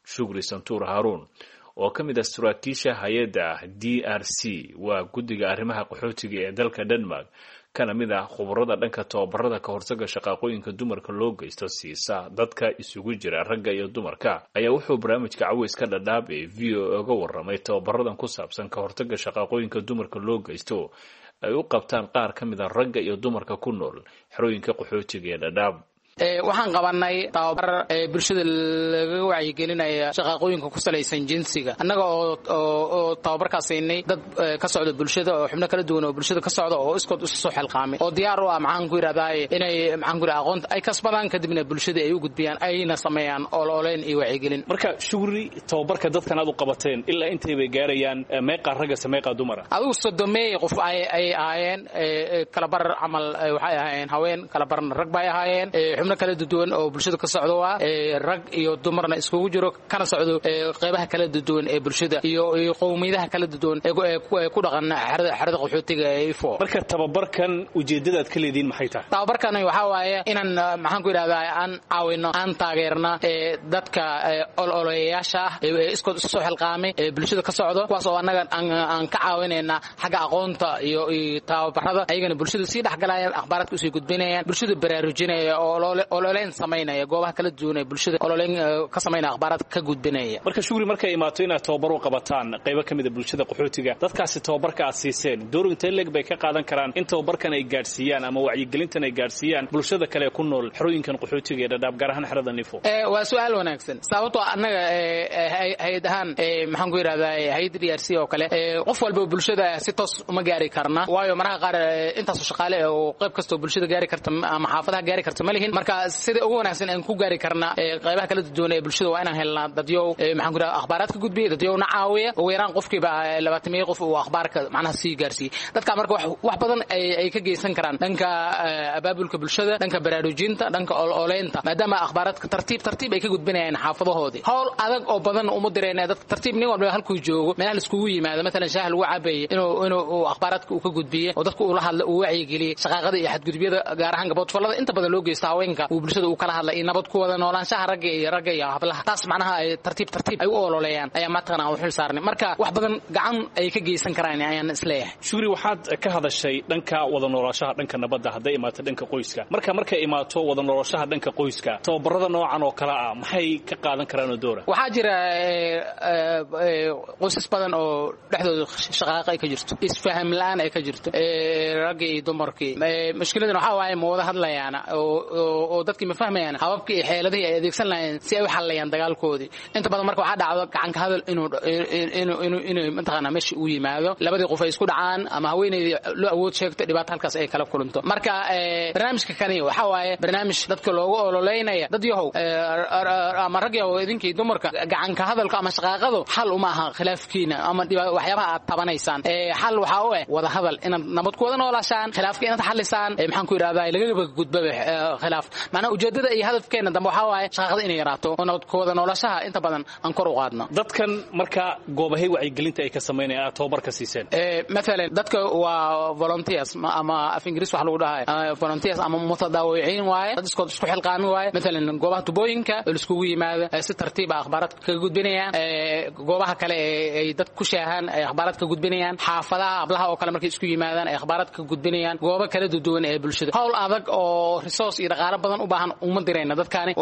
Shukri Santuur Haaruun oo ka mid ah saraakiisha hay-adda DRC, waa guddiga arrimaha qaxootiga ee dalka Denmark, kana mid ah khubarada dhanka tababarada ka hortaga shaqaaqooyinka dumarka loo geysto siisa dadka isugu jira ragga iyo dumarka, ayaa wuxuu barnaamijka caweyska Dhadhaab ee VOA uga waramay tababaradan ku saabsan ka hortaga shaqaaqooyinka dumarka loo geysto ay u qabtaan qaar ka mid a ragga iyo dumarka ku nool xerooyinka qaxootiga ee Dhadhaab. Waxaan qabanay tababar bulshada lagaga wacyigelinaya shaqaaqooyinka ku salaysan jinsiga, annaga oo tababarkaas siinay dad ka socda bulshada oo xubno kala duwan oo bulshada ka socda oo iskood isu soo xilqaamay oo diyaar u ah, maxaan ku yidhahdaa, inay, maxaan ku yidhahdaa, aqoonta ay kasbadaan kadibna bulshada ay u gudbiyaan, ayna sameeyaan ololeyn iyo wacyigelin. Marka Shugri, tababarka dadkan aad u qabateen ilaa intay bay gaarayaan? Meeqaa raggase, meeqaa dumara? Adigu 30-meey qof ay ahaayeen. Kalabar camal waxay ahaayeen haween, kalabarna rag bay ahaayeen. Xubno kala duwan oo bulshada ka socdo waa rag iyo dumarna iskugu jiro, kana socdo qeybaha kala duwan ee bulshada iyo qowmiyadaha kala duwan ee ku dhaqan xerada qaxootiga ee Ifo. Marka tababarkan ujeedadaad ka leediin maxay tahay? Tababarkan waxaa waaye inaan, maxaan ku yidhahdaa, aan caawino, aan taageerna dadka ololeyaasha ah ee iskood isu soo xilqaamay ee bulshada ka socdo, kuwaas oo annaga aan ka caawinayna xagga aqoonta iyo tababarada, ayagana bulshada sii dhexgalayaan, akhbaaraadka usii gudbinayaan, bulshada baraarujinaya oo ololeyn samaynaya goobaha kala duwan ee bulshada ololeyn ka samaynaya, akhbaaraad ka gudbinaya. Marka Shugri, markay imaato inaad tababar u qabataan qaybo ka mid a bulshada qaxootiga, dadkaasi tababarka aad siiseen door intee leeg bay ka qaadan karaan in tababarkan ay gaadhsiiyaan ama wacyigelintan ay gaadhsiiyaan bulshada kale ku nool xerooyinkan qaxootiga ee Dhadhaab, gaar ahaan xerada Nifo? Waa su-aal wanaagsan, sababtoo annaga hay-ad ahaan, maxaan ku yidhahdaa, hay-adda DRC oo kale, qof walba bulshada si toos uma gaari karna, waayo maraha qaar intaasoo shaqaale oo qayb kastoo bulshada gaari karta ama xaafadaha gaari karta ma lihin. Marka sida ugu wanaagsan aan ku gaari karna qaybaha kala duwan ee bulshada waa inaan helnaa dadyow, maxaan ku yidhahdaa, akhbaaraad ka gudbiya, dadyowna caawiya. Ugu yaraan qofkiiba 20 qof uu akhbaarka macnaha sii gaarsiiyey dadka, marka wax badan ay ka geysan karaan dhanka abaabulka bulshada, dhanka baraarujinta, dhanka ololeynta, maadaama akhbaaraadka tartiib tartiib ay ka gudbinayaan xaafadahoodii. Howl adag oo badan uma dirayna dadka, tartiib nin walba halkuu joogo, meelaha laiskugu yimaado, matalan shaah lagu cabayay, inuu akhbaaraadka uu ka gudbiye oo dadka uu la hadla, uu wacyigeliyey shaqaaqada iyo xadgudubyada, gaar ahaan gaboodfallada inta badan loo geysto haweenka. haweenka uu bulshada uu kala hadlay iyo nabad ku wada noolaanshaha ragga iyo ragga iyo hablaha, taas macnaha ay tartiib tartiib ay u ololeeyaan ayaa mataqaana aan u xil saarnay. Marka wax badan gacan ay ka geysan karaan ayaan isleeyahay. Shukri, waxaad ka hadashay dhanka wada noolaanshaha, dhanka nabadda hadday imaato dhanka qoyska. Marka markay imaato wada noolaanshaha dhanka qoyska, tababarada noocan oo kale ah maxay ka qaadan karaan oo doora? Waxaa jira qoysas badan oo dhexdooda shaqaaqa ay ka jirto, isfaham la'aan ay ka jirto raggii iyo dumarkii. Mushkiladan waxaa waaye ma wada hadlayaana oo dadkii ma fahmayaan hababkii iyo xeeladihii ay adeegsan lahayeen si ay u xallayaan dagaalkoodii. Inta badan marka waxaa dhacdo gacanka hadal inuu inuu inuu inuu mataqaanaa meesha uu yimaado, labadii qof ay isku dhacaan ama haweeneydii loo awood sheegto, dhibaato halkaas ay kala kulanto. Marka barnaamijka kani waxaa waaye barnaamij dadka loogu ololeynaya, dad yahow ama rag yahow, idinkii dumarka, gacanka hadalka ama shaqaaqadu xal uma aha khilaafkiina ama waxyaabaha aad tabanaysaan. Xal waxaa u eh wada hadal, inaad nabad ku wada noolaashaan, khilaafka inaad xalisaan, maxaan ku yidhahdaa, lagagaba gudbaba khilaaf. Macnaha ujeedada iyo hadafkeena dambe waxaa waaye shaqaaqada inay yaraato oo nabad ku wada noolashaha inta badan aan kor u qaadno. Dadkan marka goobahay wacyigelinta ay ka samaynayaan aad tababarka siiseen? Mathalan dadka waa volunteers ama af Ingiriis wax lagu dhahay volunteers ama mutadawiciin waaye, dad iskood isku xilqaami waaye. Mathalan goobaha tubooyinka oo laiskugu yimaado si tartiib ah akhbaaraadka kaga gudbinayaan, goobaha kale ee ay dad ku shaahaan ay akhbaaraad ka gudbinayaan, xaafadaha hablaha oo kale markay isku yimaadaan ay akhbaaraad ka gudbinayaan, goobo kala duwan ee bulshada. Hawl adag oo resource iyo dhaqaale badan u baahan uma dirayna dadkaani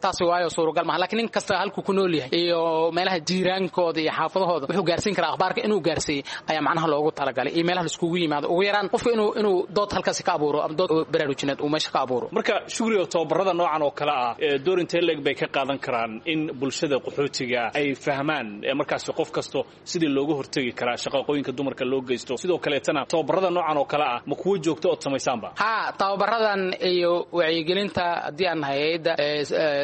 taasi, waayo suuragal maaha. Laakiin nin kasta halkuu ku nool yahay iyo meelaha jiiraankooda iyo xaafadahooda wuxuu gaarsiin karaa akhbaarka inuu gaarsiiyey ayaa macnaha loogu talagalay, iyo meelaha laiskugu yimaado ugu yaraan qofka inuu dood halkaasi ka abuuro ama dood baraarujineed uu meesha ka abuuro. Marka Shukri, oo tababarada noocan oo kale ah door intee leeg bay ka qaadan karaan in bulshada qaxootiga ay fahmaan markaasi qof kasto sidii looga hortegi karaa shaqaqooyinka dumarka loo geysto? Sidoo kaleetana tababarada noocan oo kale ah ma kuwo joogto ood samaysaanba? Ha, tababaradan iyo wacyigelinta haddii aan nahay hay'adda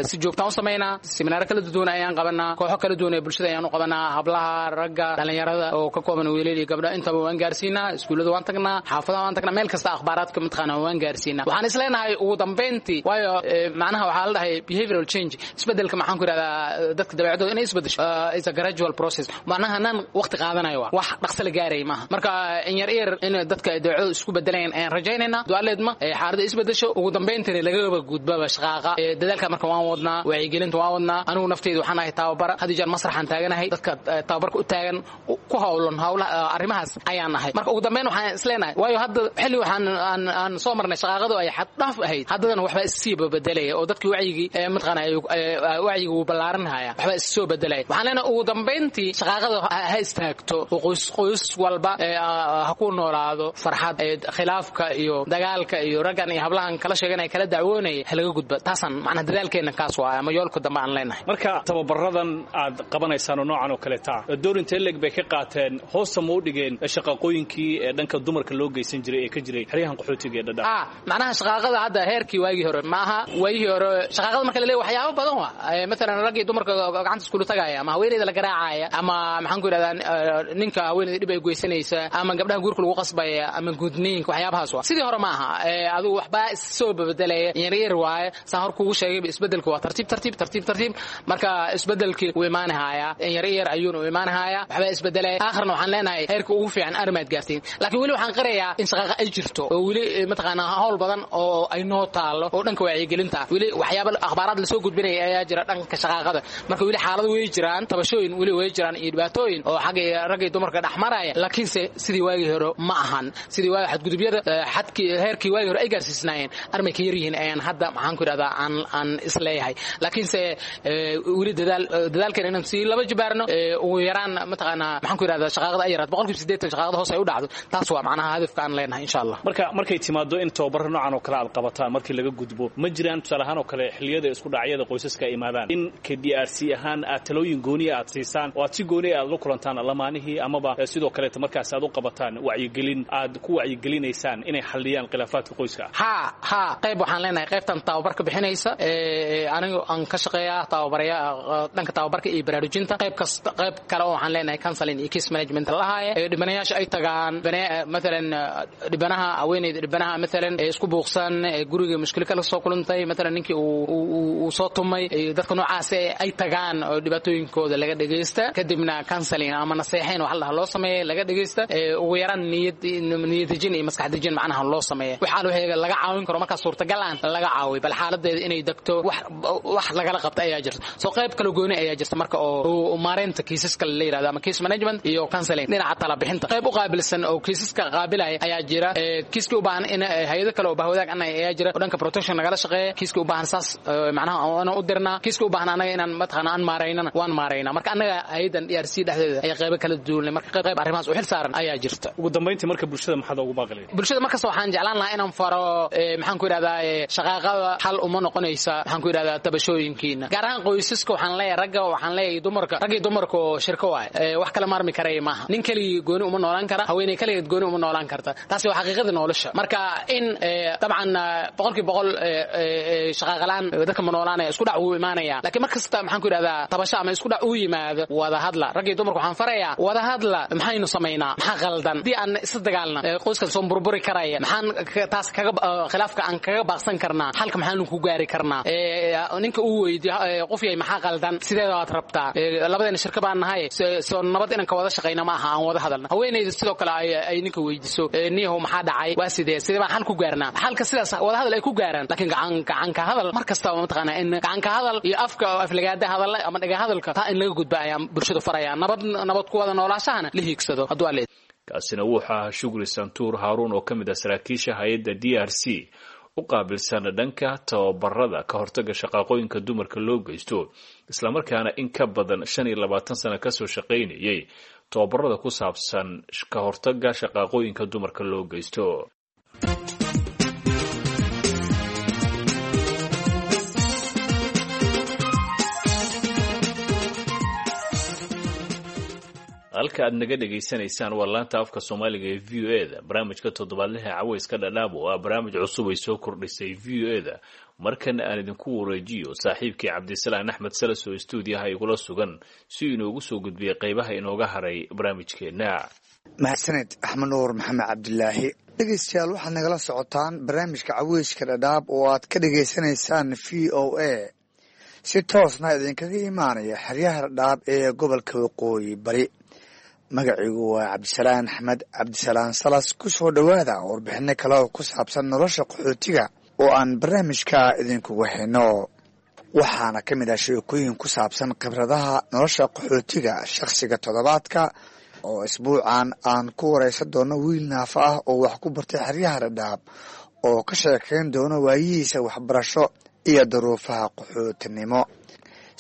si joogtaan u samaynaa. Seminaaro kala duwan ayaan qabanaa, kooxo kala duwan ee bulshada ayaan u qabanaa, hablaha, ragga, dhalinyarada oo ka kooban wiilal iyo gabdho intaba waan gaarsiinaa. Iskuullada waan tagnaa, xaafadaha waan tagnaa, meel kasta akhbaaraadka mataqaana waan gaarsiinaa. Waxaan isleenahay ugu dambeyntii, waayo macnaha waxaa la dhahay behavioral change, isbedelka maxaan ku yidhahdaa dadka dabeecadooda inay isbedesho is a gradual process, macnaha nan waqti qaadanayo, waa wax dhaqso la gaaraya maaha. Marka in yar yar in dadka ay dabeecadooda isku bedelayaan ayaan rajaynaynaa, du'aleedma xaaladda isbedesho, ugu dambeyntiina lagaba gudbaba shaqaaqa. Dadaalka marka waan wadnaa, wacyigelinta waan wadnaa. Anigu nafteyda waxaan ahay tababara, had iyo jeer masraxaan taaganahay, dadka tababarka u taagan ku hawlan hawlaha arrimahaas ayaan ahay. Marka ugu dambeyn waxaan isleenahay, waayo hadda xilli waxaan aan soo marnay shaqaaqadu ay xad dhaaf ahayd, haddana waxbaa issii bedelaya oo dadkii wacyigii mataqaana wacyiga wuu ballaaranhaya, waxbaa issoo bedelaya. Waxaan leenahay ugu dambeyntii shaqaaqada ha istaagto oo qoys qoys walba ha ku noolaado farxad, khilaafka iyo dagaalka iyo raggan iyo hablahan kala sheeganaya kala dacwoonaya ha laga gudba. Taasaan macnaha dadaalkeena kaas waay ama yoolka dambe aan leenahay. Marka tababaradan aad qabanaysaan oo noocan oo kaleeta door intee leeg bay ka qaateen, hoosta ma u dhigeen shaqaqooyinkii ee dhanka dumarka loo geysan jiray ee ka jiray xeryahan qaxootiga ee Dhadhaab? Macnaha shaqaaqada hadda heerkii waagii hore maaha. Waagii hore shaqaaqada marka la leeyahay waxyaabo badan waa mathalan raggii dumarka gacanta iskula tagaya ama haweeneyda la garaacaya ama maxaan ku yidhahdaa ninka haweeneyda dhib ay geysanaysa ama gabdhaha guurka lagu qasbaya ama gudniinka, waxyaabahaas waa. Sidii hore maaha, adigu waxbaa issoo bedelaya yar yar waaye. Saan hor kugu sheegay, isbedelka waa tartiib tartiib tartiib tartiib. Marka isbedelkii wuu imaanahayaa, yar yar ayuuna u imaanahayaa, waxbaa isbedelaya. Aakhirna waxaan leenahay heerka ugu fiican arrimaad gaartiin. Laakiin weli waxaan qirayaa in shaqaaqa ay jirto oo weli mataqaanaa hawl badan oo ay noo taalo oo dhanka wacyigelinta, weli waxyaaba akhbaaraad lasoo gudbinaya ayaa jira dhanka shaqaaqada. Marka weli xaalado way jiraan, tabashooyin weli way jiraan iyo dhibaatooyin oo xagga ragga iyo dumarka dhex maraya, laakiinse sidii waagii hore ma ahan. Sidii waagi xadgudubyada xadkii heerkii waagii hore ay gaarsiisnaayeen armay ka yaryihiin ayaan hadda maxaan ku yidhahdaa aan isleeyahay. Laakiinse weli dadaal dadaalkan inaan sii laba jibaarno, ugu yaraan mataqaanaa maxaan ku yidhahdaa shaqaaqada ay yaraad 80% shaqaaqada hoos ay u dhacdo, taas waa macnaha hadafka aan leenahay insha Allah. Marka markay timaado in tababaro noocan oo kale aad qabataan markii laga gudbo, ma jiraan tusaale ahaan oo kale xilliyada isku dhacyada qoysaska ay imaadaan in KDRC ahaan aad talooyin gooniya aad siisaan oo aad si gooniya aad la kulantaan lamaanihii amaba sidoo kaleeta markaas aad u qabataan wacyigelin aad ku wacyigelinaysaan inay xalliyaan khilaafaadka qoyska? Ha, qayb waxaan leenahay qaybtan tababarka bixinaysa, anigu aan ka shaqeeyaa tababaraya dhanka tababarka iyo baraarujinta. Qayb kasta qayb kale oo waxaan leenahay counseling iyo case management lahaye dhibanayaasha ay tagaan, mathalan dhibanaha haweeneyda, dhibanaha mathalan isku buuqsan, guriga mushkilo kala soo kulantay, mathalan ninkii uu soo tumay, dadka noocaas ay tagaan oo dhibaatooyinkooda laga dhegeysta, kadibna counseling ama naseexayn wax la loo sameeyo laga dhegeysta, ugu yaraan niyad dejin iyo maskax dejin macnaha loo sameeyo, waxaa wixii laga caawin karo markaas suurtagal galaan laga caawiyo, bal xaaladeeda inay degto, wax lagala qabta ayaa jirta. Soo qayb kala gooni ayaa jirta marka oo maareynta kiisaska la yiraahdo ama case management iyo counseling, dhinaca tala bixinta qayb u qaabilsan oo kiisaska qaabilaya ayaa jira. Kiiskii u baahan in hay'ado kale oo bahwadaag annaga ayaa jira oo dhanka protection nagala shaqeeya. Kiiskii u baahan saas macnaha aan u dirnaa, kiiskii u baahan annaga inaan mataqaana aan maaraynana waan maaraynaa. Marka annaga hay'adan DRC dhexdeeda ayaa qaybo kala duwan, marka qayb arrimahaas u xil saaran ayaa jirta. Ugu dambeyntii marka bulshada maxaad ugu baaqi lahayd? Bulshada markasta waxaan jeclaan lahaa inaan faro, maxaan ku yidhahdaa, shaqaaqada xal uma noqonaysa, maxaan ku yidhahdaa, tabashooyinkiina, gaar ahaan qoysaska. Waxaan leeyahay ragga, waxaan leeyahay dumarka, ragga iyo dumarka oo shirko waaye, wax kala maarmi karaya maaha. Nin keligii gooni uma noolaan kara, haweeney keligeed gooni uma noolaan karta. Taasi waa xaqiiqada nolosha. Marka in dabcan 100% shaqaaqa la'aan dadka ma noolaanaya, isku dhac wuu imaanaya, laakiin mar kasta, maxaan ku yidhahdaa, tabasho ama isku dhac uu yimaado, wada hadla. Ragga iyo dumarka waxaan farayaa wada hadla. Maxaynu samaynaa? Maxaa qaldan? Haddii aan isla dagaalna qoyskan soo burburi karaya, maxaan taas kaga khilaafka aan kaga baaqsan karnaa? Xalka maxaanu ku gaari karnaa? Ninka uu weydiyo qof yahay maxaa qaldan, sidee waad rabtaa? Labadeena shirka baan nahay, soo nabad inaan ka wada shaqayna ma aha? Aan wada hadalna. Haweeneyda sidoo kale ay ninka weydiiso, niyahow maxaa dhacay, waa sidee, sidee baan xal ku gaarnaa? Xalka sidaas wada hadal ay ku gaaraan. Laakiin gacan ka hadal mar kastaba mataqaanaa in gacan ka hadal iyo afka oo aflagaada hadal ama dhaga hadalka taa in laga gudba ayaan bulshada faraya, nabad ku wada noolaashahana la hiigsado hadduu alle. Kaasina wuxuu ahaa Shukri Santuur Haaruun oo ka mid ah saraakiisha hay-adda DRC u qaabilsan dhanka tababarada ka hortaga shaqaaqooyinka dumarka loo geysto, islamarkaana in ka badan 25 sano kasoo shaqaynayay tababarada ku saabsan ka hortaga shaqaaqooyinka dumarka loo geysto. Halka aad naga dhegaysanaysaan waa laanta afka Soomaaliga ee VOA da. Barnaamijka toddobaadlaha Caweyska Dhadhaab oo ah barnaamij cusub ay soo kordhisay VOA da. Markana aan idinku wareejiyo saaxiibkii Cabdisalaan Axmed Salas oo istuudiyaha igula sugan si inoogu soo gudbiyey qaybaha inooga haray barnaamijkeenna. Mahadsaned Axmed Nuur Maxamed Cabdilaahi. Dhegeystayaal, waxaad nagala socotaan barnaamijka Caweyska Dhadhaab oo aad ka dhegaysanaysaan VOA, si toosna idinkaga imaanaya xeryaha Dhadhaab ee gobolka Waqooyi Bari. Magaciigu waa Cabdisalaan Axmed Cabdisalaan Salas. Ku soo dhowaada warbixino kale oo ku saabsan nolosha qaxootiga oo aan barnaamijka idinkugu hayno. Waxaana ka mid ah sheekooyin ku saabsan khibradaha nolosha qaxootiga, shakhsiga toddobaadka oo isbuucan aan ku wareysan doono wiil naafa ah oo wax ku bartay xeryaha Dhadhaab oo ka sheekeyn doono waayihiisa waxbarasho iyo duruufaha qaxootinimo.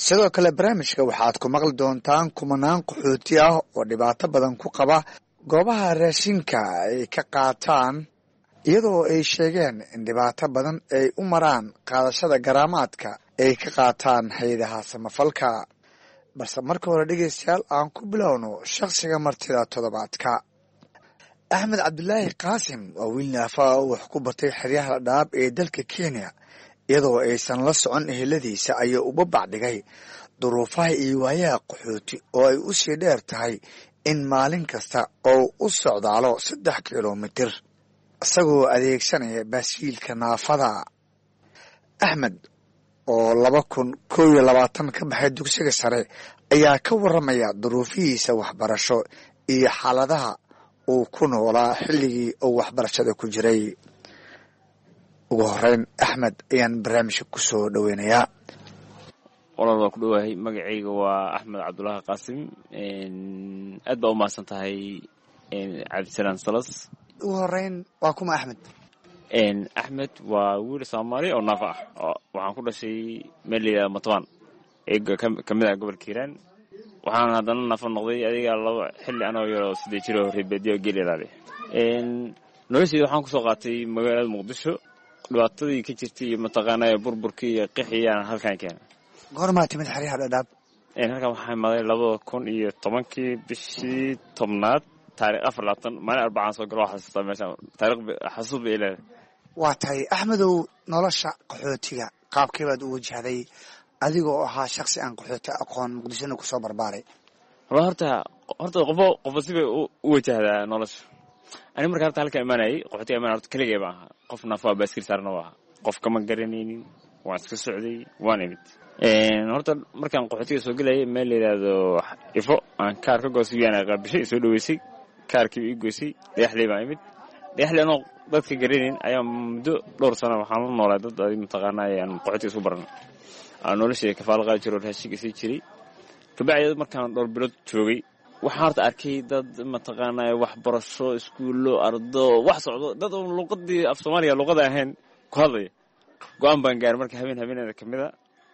Sidoo kale barnaamijka waxaad ku maqli doontaan kumanaan qaxooti ah oo dhibaato badan ku qaba goobaha raashinka ay ka qaataan, iyadoo ay sheegeen in dhibaato badan ay u maraan qaadashada garaamaadka ay ka qaataan hay-adaha samafalka. Balse marka hore, dhegeystayaal, aan ku bilowno shakhsiga martida toddobaadka. Axmed Cabdilaahi Qaasim waa wiil naafa oo wax ku bartay xeryaha Dhadhaab ee dalka Kenya. Iyadoo aysan la socon eheladiisa ayuu uba bacdhigay duruufaha iyo waayaha qaxooti oo ay u sii dheer tahay in maalin kasta oo u socdaalo 3 kilomitir isagoo adeegsanaya baaskiilka naafada. Axmed oo 2021 ka baxay dugsiga sare ayaa ka waramaya duruufihiisa waxbarasho iyo xaaladaha uu ku noolaa xilligii uu waxbarashada ku jiray. Ugu horeyn Axmed ayaan barnaamijka ku soo dhoweynayaa. Walaal, waa ku dhowahay. Magacayga waa Axmed Cabdulaahi Qaasim. Aad baa u mahadsan tahay, Cabdisalaan Salas. Ugu horeyn, waa kuma Axmed? Axmed waa wiil Soomaali oo naafa ah. Waxaan ku dhashay meel la yidhahdo Matobaan ee ka mid ah gobolka Hiiraan. Waxaan haddana naafa noqday adiga laba xilli anoo yaroo 8 jiro, reer baadiyo geel ilaali. Nolosheyda waxaan kusoo qaatay magaalada Muqdisho, dhibaatadii ka jirtay iyo mataqaanaa burburkii iyo qixiyaan halkan keena. Goormaa timid xeryaha Dhadhaab? Halkan waxaa imaaday 2010-kii, bishii 10aad, taarikh 24, maalin Arbacaan soo galo. Waa xasuustaa meeshaan, taarikh xasuus bay leedahay. Waa tahay Axmedow, nolosha qaxootiga qaabkee baad u wajahday adigoo ahaa shaksi aan qaxooti aqoon, Muqdishona kusoo barbaaray? Wala horta qofba sibay u wajahdaa nolosha. Ani marka horta halka imaanayay, qaxootiga imaanay, horta keligay baan ahaa. Qof nafaa baaskil saarna waa ahaa, qof kama garanaynin, waan iska socday, waan imid. Horta markaan qaxootiga soo gelayay, meel la yidhaahdo Ifo aan kaar ka goostay, yaana qaabishay, soo dhaweysay, kaarkii ii goysay. Dhagaxley baan imid. Dhagaxley anoo dadka garanayn ayaa muddo dhowr sano waxaan la noolaa dad adi mataqaanaa aan qaxootiga isku baran, aan noloshayda kafaalo qaadi jiro, raashinka sii jiray. Kabacdi markaan dhowr bilood joogay, waxaan horta arkay dad mataqaanaa waxbarasho, iskuullo, ardo, wax socdo, dad uun luqadii af Soomaaliga luqada ahayn ku hadlaya. Go-aan baan gaaray marka habeen habeeneeda ka mid a,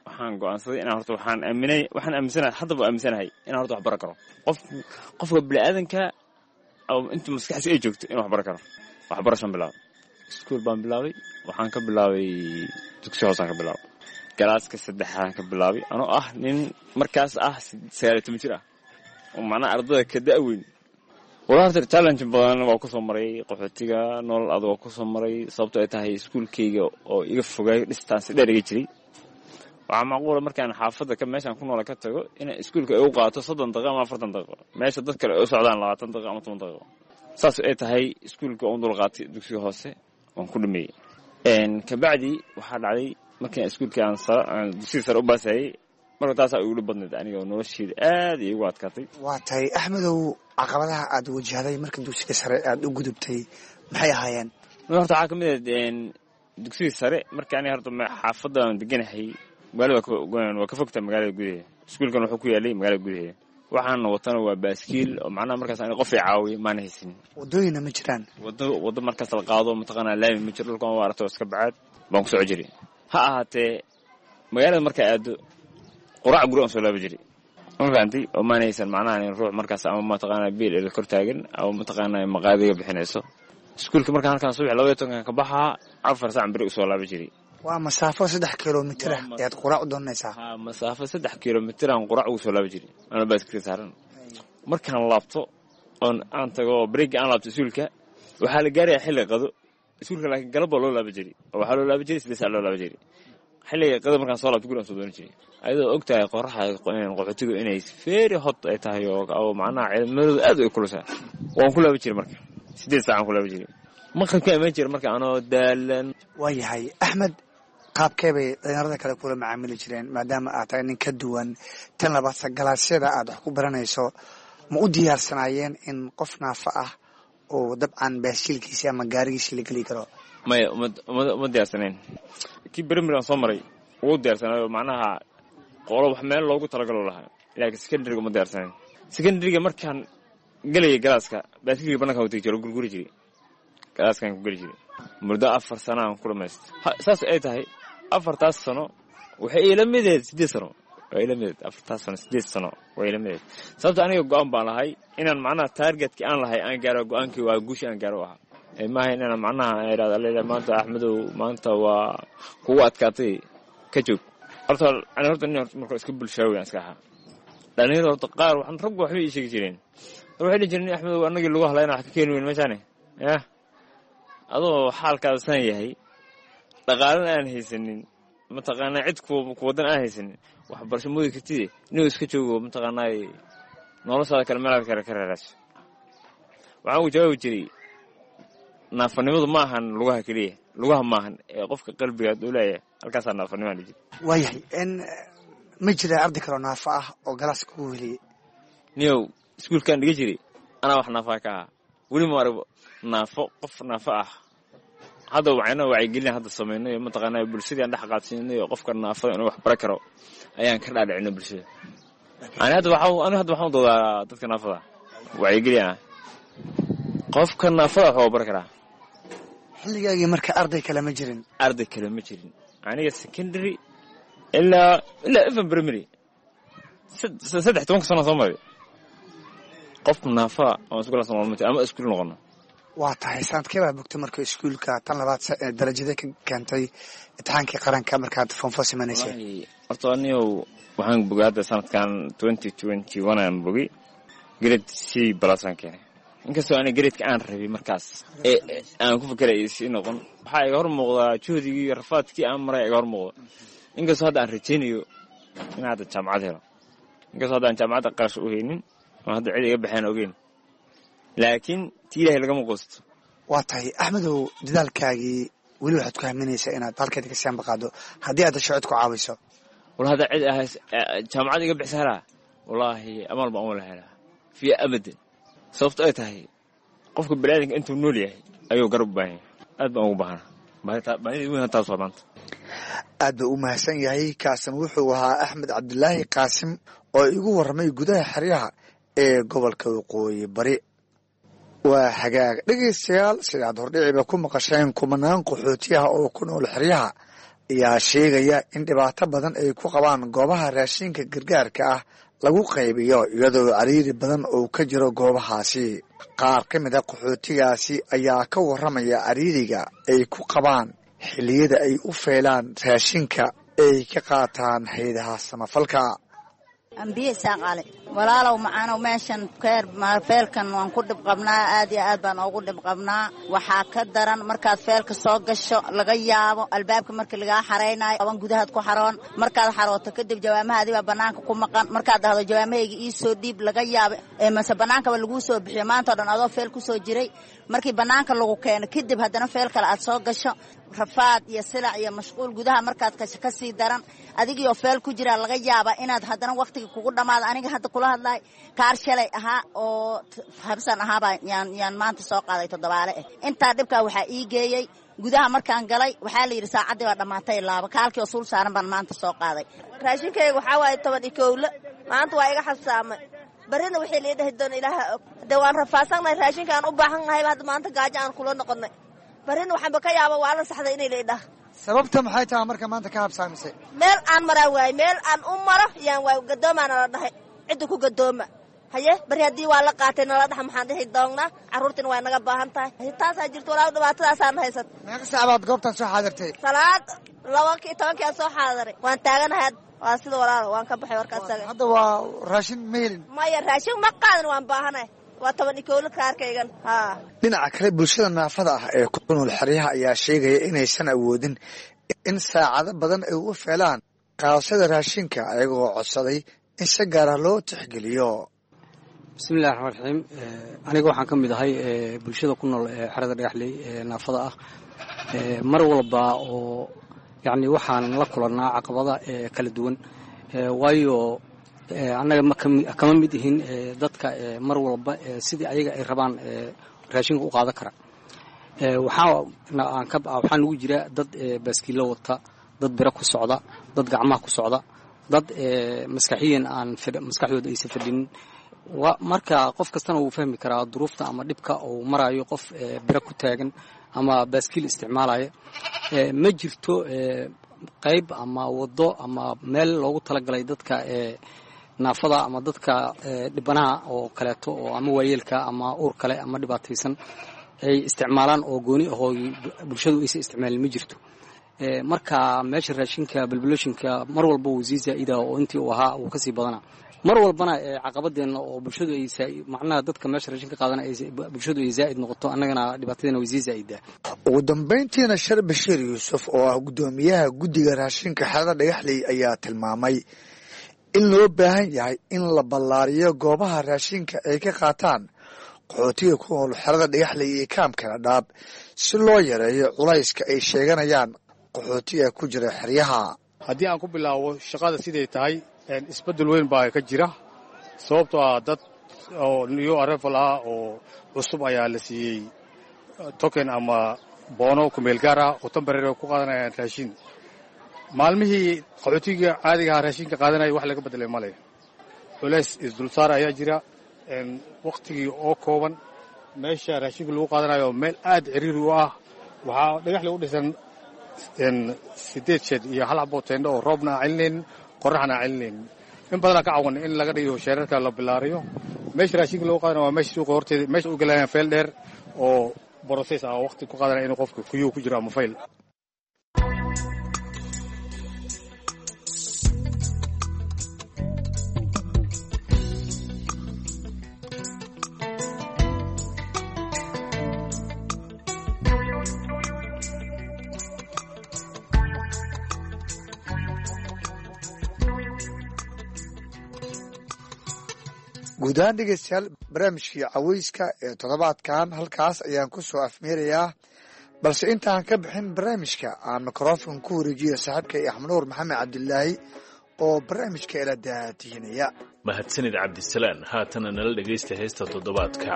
waxaan go'aansaday inaan horta waxaan aaminay, waxaan aaminsanahay, haddaba aaminsanahay inaan horta wax baran karo. Qof, qofka bini'aadanka inta maskaxdiisa ay joogto inuu wax baran karo. Waxbarashaan bilaabay, iskuul baan bilaabay. Waxaan ka bilaabay dugsi hoosaan ka bilaabay, galaaska saddexaadaan ka bilaabay, anoo ah nin markaas ah 19 jir ah oo macnaha ardada ka da'weyn. Walaa horta challenge badan waa kusoo maray qaxootiga, nolol adag waa kusoo maray, sababto ay tahay iskuulkayga oo iga fogaayo, distance dheer iga jiray. Waxaa macquula markaan xaafadda ka meeshaan ku noola ka tago inay iskuulka ay u qaato 30 daqiiqo ama 40 daqiiqo, meesha dad kale ay u socdaan 20 daqiiqo ama 10 daqiiqo. Saas ay tahay iskuulka oon dul qaatay, dugsiga hoose waan ku dhameeyey. Kabacdi waxaa dhacday markaan iskuulka aan dugsiga sare u baasayay, marka taasaa igu dhib badnayd aniga oo nolosheeda aad iyo igu adkaatay. Waa tahay Axmedow, caqabadaha aad wajahday marka dugsiga sare aad u gudubtay maxay ahaayeen? Horta waxaa ka mid ah dugsiga sare marka aniga horta xaafadda aan deganahay magaalada waa ka fogtaa magaalada gudaheeda. Iskuulkan wuxuu ku yaalay magaalada gudaheeda, waxaana watana waa baaskiil oo macnaha markaas aniga qof i caawiya maana haysanin. Wadooyinna ma jiraan? Wado, wado markaas la qaado mataqaanaa laami ma jiro, dhulkan waa aragto, iska bacaad baan ku soco jiray. Ha ahaatee magaalada markaa aado, quraac guri aan soo laabi jiray, ma fahantay? Oo maana haysan macnaha in ruux markaas ama mataqaanaa biil ila kor taagan ama mataqaanaa maqaadiga bixinayso. Iskuulka markaan halkaan subax 12-kan ka baxaa, 4 saac beri usoo laabi jiray. Waa masaafo 3 kilomitir ah ayaad quraac u doonaysaa? Ha, masaafo 3 kilomitir aan quraac ugu soo laabi jiray anoo baaskiilka saaran. Markaan laabto oon aan tago breega, aan laabto iskuulka, waxaa la gaarayaa xilli qado iskuulka, laakiin galab baa loo laabi jiray oo waxaa loo laabi jiray 8 saac loo laabi jiray. Xilliga qado markaan soo laabto, guri aan soo doonan jiray, ayadoo og tahay qoraxda qaxootigu inay very hot ay tahay oo macnaha cimiladu aad ay kulushaa. Waan ku laabi jiray marka 8 saac aan ku laabi jiray, maqribka iman jiray marka anoo daalan. Waa yahay Axmed, qaabkee bay dhalinyarada kale kula macaamili jireen maadaama aad tahay nin ka duwan? Tan labaad, galaasyada aad wax ku baranayso ma u diyaarsanaayeen in qof naafa ah oo dabcan baaskiilkiisi ama gaarigiisi la geli karo? Maya, uma diyaarsanayn. Kii primary aan soo maray wuu diyaarsanayo, macnaha qolo wax meel loogu talagalo lahaa, laakiin secondaryga uma diyaarsanayn. Secondaryga markaan gelayay galaaska, baaskiilka bananka u tegi jiro, gurguri jiray, galaaskaan ku geli jiray. Muddo 4 sano aan ku dhamaystay. Saas ay tahay afartaas sano waxay ila mideed 8 sano, waa ila mideed afartaas sano, 8 sano waa ila mideed, sababta aniga go-aan baan lahay inaan macnaha targetkii aan lahay aan gaaro. Go-aankii waa guushi aan gaaro ahaa, maaha inaan macnaha idhahdo allela maanta Axmedow maanta waa kugu adkaatay, ka joog. Horta ani horta nin horta marka iska bulshaawi aan iska ahaa. Dhalinyarada horta qaar waxaan raggu waxbay ii sheegi jireen, waxay dhihi jireen, "Axmedow, annagii lagu hadlayna wax ka keeni weyn meeshaane, yah, adoo xaalkaada san yahay, dhaqaalana aan haysanin, mataqaanaa cid ku wadan aan haysanin, waxbarasho moodi kartide, inuu iska joogo, mataqaanaa noloshaada kale meelaad kale ka raaraaso." Waxaan ugu jawaabi jiray, naafanimadu ma ahan lugaha keliya, lugaha maahan ee qofka qalbiga uu leeyahay, halkaasaa naafanimaan dhihi jiray. Waayahay, n ma jira arday kaloo naafo ah oo galaaska kugu heliyey? Niyow, iskuulkaan dhiga jiray anaa wax naafaa ka ahaa. Weli ma arag naafo, qof naafo ah. Hadda waxayna wacyigelin hadda samayno iyo mataqaanaa bulshadii aan dhex qaadsiinay oo qofka naafada inuu wax baran karo ayaan ka dhaadhicinay bulshada. Ani hadda waxaa, ani hadda waxaan u doodaa dadka naafada, wacyigelin ah, qofka naafada wax waa baran karaa. Xilligaagii marka arday kale ma jirin? Arday kale ma jirin. Aniga secondary ilaa even primary, 13-ka sano soo maray, qofka naafada oo iskuul soo ma ama iskuul noqono. Waa tahay, sanadkee baa bogtay marka iskuulka? Tan labaad, darajadee ka keentay imtixaankii qaranka markaad form four sameynaysay? Horta aniyow waxaan bogay hadda sanadkan 2021 aan bogay, grade C plus aan keenay, inkastoo ani gradeka aan rabay markaas ee aan ku fekeray si noqon. Waxaa iga hor muuqdaa juhdigii iyo rafaadkii aan maray iga hor muuqda, inkastoo hadda aan rajaynayo in hadda jaamacad helo, inkastoo hadda aan jaamacadda qarash u haynin oo hadda cid iga baxeen ogeyn, laakiin ti Ilaahay lagama quusto. Waa tahay Axmedow, dadaalkaagii weli waxaad ku haminaysaa inaad halkeeda ka sianba qaado haddii aad hesho cid ku caawiso? Wala hadda cid ahays jaamacad iga bixisa helaa, wallaahi amaal baan wala helaa fiya abadan, sababto ay tahay qofka baniaadamka intuu nool yahay ayuu garab u baahan yahay. Aad baan ugu baahana, baahida weyn taas waa maanta. Aad buu u mahadsan yahay. Kaasim wuxuu ahaa Axmed Cabdilaahi Qaasim oo igu warramay gudaha xeryaha ee gobolka Waqooyi Bari. Waa hagaag, dhegaystayaal, sidaad hordhiciba ku maqasheen, kumanaan qaxootiyaha oo ku nool xeryaha ayaa sheegaya in dhibaato badan ay ku qabaan goobaha raashinka gargaarka ah lagu qaybiyo, iyadoo cariiri badan uu ka jiro goobahaasi. Qaar ka mid a qaxootigaasi ayaa ka warramaya cariiriga ay ku qabaan xilliyada ay u feelaan raashinka ay ka qaataan haydaha samafalka. Ambiye Isaaqaale, walaalow macaanow, meeshan keer feelkan waan ku dhib qabnaa, aad iyo aad baan oogu dhib qabnaa. Waxaa ka daran markaad feelka soo gasho, laga yaabo albaabka markii lagaa xaraynayo aban gudahaad ku xaroon. Markaad xarooto kadib, jawaamahaadii baa banaanka ku maqan. Markaad dhahdo jawaamahayga ii soo dhiib, laga yaabo mase banaankaba laguu soo bixiyo. Maanta o dhan adoo feel kusoo jiray, markii banaanka lagu keeno kadib, haddana feel kale aad soo gasho, rafaad iyo silac iyo mashquul. Gudaha markaad gasho kasii daran, adigiioo feel ku jiraa laga yaabaa inaad haddana waqtiga kugu dhamaado. Aniga hadda kula hadlaay, kaar shalay ahaa oo habsan ahaabaa yaan maanta soo qaaday toddobaale ah. Intaa dhibkaa waxaa ii geeyey, gudaha markaan galay waxaa la yidhi saacaddii baa dhammaatay, laaba kaalkii oo suul saaran baan maanta soo qaaday. Raashinkayga waxaa waaye 11, maanta waa iga xabsaamay. Barrina wixii lii dhahi doona Ilaaha og. Hadee waan rafaadsannahay, raashinka aan u baahan nahayba hadda maanta gaajo aan kula noqonnay. Barrina waxaanba ka yaaba waa la saxday inay la idhaah. Sababta maxay tahay marka maanta ka habsaamisay? Meel aan maraa waaye, meel aan u maro yaan waay. Gadoomaana la dhahay, cidda ku gadooma haye. Bari haddii waa la qaatay nala dhaxa, maxaan dhihi doonnaa? Carruurtina waa naga baahan tahay. Taasaa jirta walaal, dhibaatadaasaan haysat. Meeqa saac baad goobtan soo xaadirtay? Salaad 12-kii aan soo xaadiray, waan taaganahay. Waa sida walaal, waan ka baxay warkaas. Hadda waa raashin ma helin? Maya, raashin ma qaadan, waan baahanahay. Waa 11 kaarkaygan ha. Dhinaca kale, bulshada naafada ah ee ku nool xeryaha ayaa sheegaya inaysan awoodin in saacado badan ay u feelaan qaadashada raashinka, ayagoo codsaday in si gaara loo tixgeliyo. Bismillahi raxmaan raxiim. Aniga waxaan ka mid ahay bulshada ku nool xerada Dhagaxley ee naafada ah. Mar walba oo yacni waxaan la kulannaa caqabada kala duwan, waayo annaga kama mid ihin dadka mar walba sidii ayaga ay rabaan raashinka u qaadan kara. Waxaa nugu jira dad baaskiilo wata, dad biro ku socda, dad gacmaha ku socda, dad maskaxiyan aan maskaxdooda aysan fadhinin. Marka qof kastana wuu fahmi karaa duruufta ama dhibka uu marayo qof biro ku taagan ama baaskiil isticmaalaya. Ma jirto qayb ama waddo ama meel loogu talagalay dadka naafada ama dadka dhibanaha oo kaleeto, oo ama waayeelka ama uur kale ama dhibaataysan ay isticmaalaan oo gooni ahoo bulshadu aysan isticmaalin, ma jirto. Marka meesha raashinka balbaloshinka mar walba wuu sii zaa'ida oo intii uu ahaa wuu kasii badanaa mar walbana. Caqabadeenna oo bulshadu ay macnaha dadka meesha raashinka qaadana bulshadu ay zaa'id noqoto, annagana dhibaatadeena way sii zaa'idaa. Ugu dambayntiina, Shar Bashiir Yuusuf oo ah guddoomiyaha guddiga raashinka xerada Dhagaxley ayaa tilmaamay in loo baahan yahay in la ballaariyo goobaha raashinka ay ka qaataan qaxootiga ku nool xerada Dhagaxley iyo kaamka Dhadhaab, si loo yareeyo culayska ay sheeganayaan qaxootiga ku jira xeryaha. Haddii aan ku bilaabo shaqada siday tahay, isbeddel weyn baa ka jira, sababtoo ah dad oo new arrival ah oo cusub ayaa la siiyey token ama boono kumeel gaar ah oo temporary ku qaadanayaan raashin. Maalmihii qaxootiga caadiga ahaa raashinka qaadanaya wax laga beddelay male. Culays isdulsaar ayaa jira, wakhtigii oo kooban, meesha raashinka lagu qaadanayo meel aad ciriiri u ah. Waxaa Dhagaxle u dhisan 8 shed iyo hal xaboo teendho oo roobna aan celinaynin, qoraxna aan celinaynin. In badanaa ka cawan in laga dhigo sheerarka la bilaariyo. Meesha raashinka lagu qaadana waa meesha suuqa horteeda, meesha u galayaan feel dheer oo process ah oo waqti ku qaadanaya inuu qofka queue ku jiro ama fayl. Guud ahaan dhegeystayaal, barnaamijkii caweyska ee toddobaadkan halkaas ayaan ku soo afmeerayaa, balse intaan ka bixin barnaamijka aan mikrofonka ku wareejiyo saaxiibkay Axmed Nuur Maxamed Cabdilaahi oo barnaamijka ila daatihinaya. Mahadsanid Cabdisalaan. Haatana nala dhegaysta heesta toddobaadka.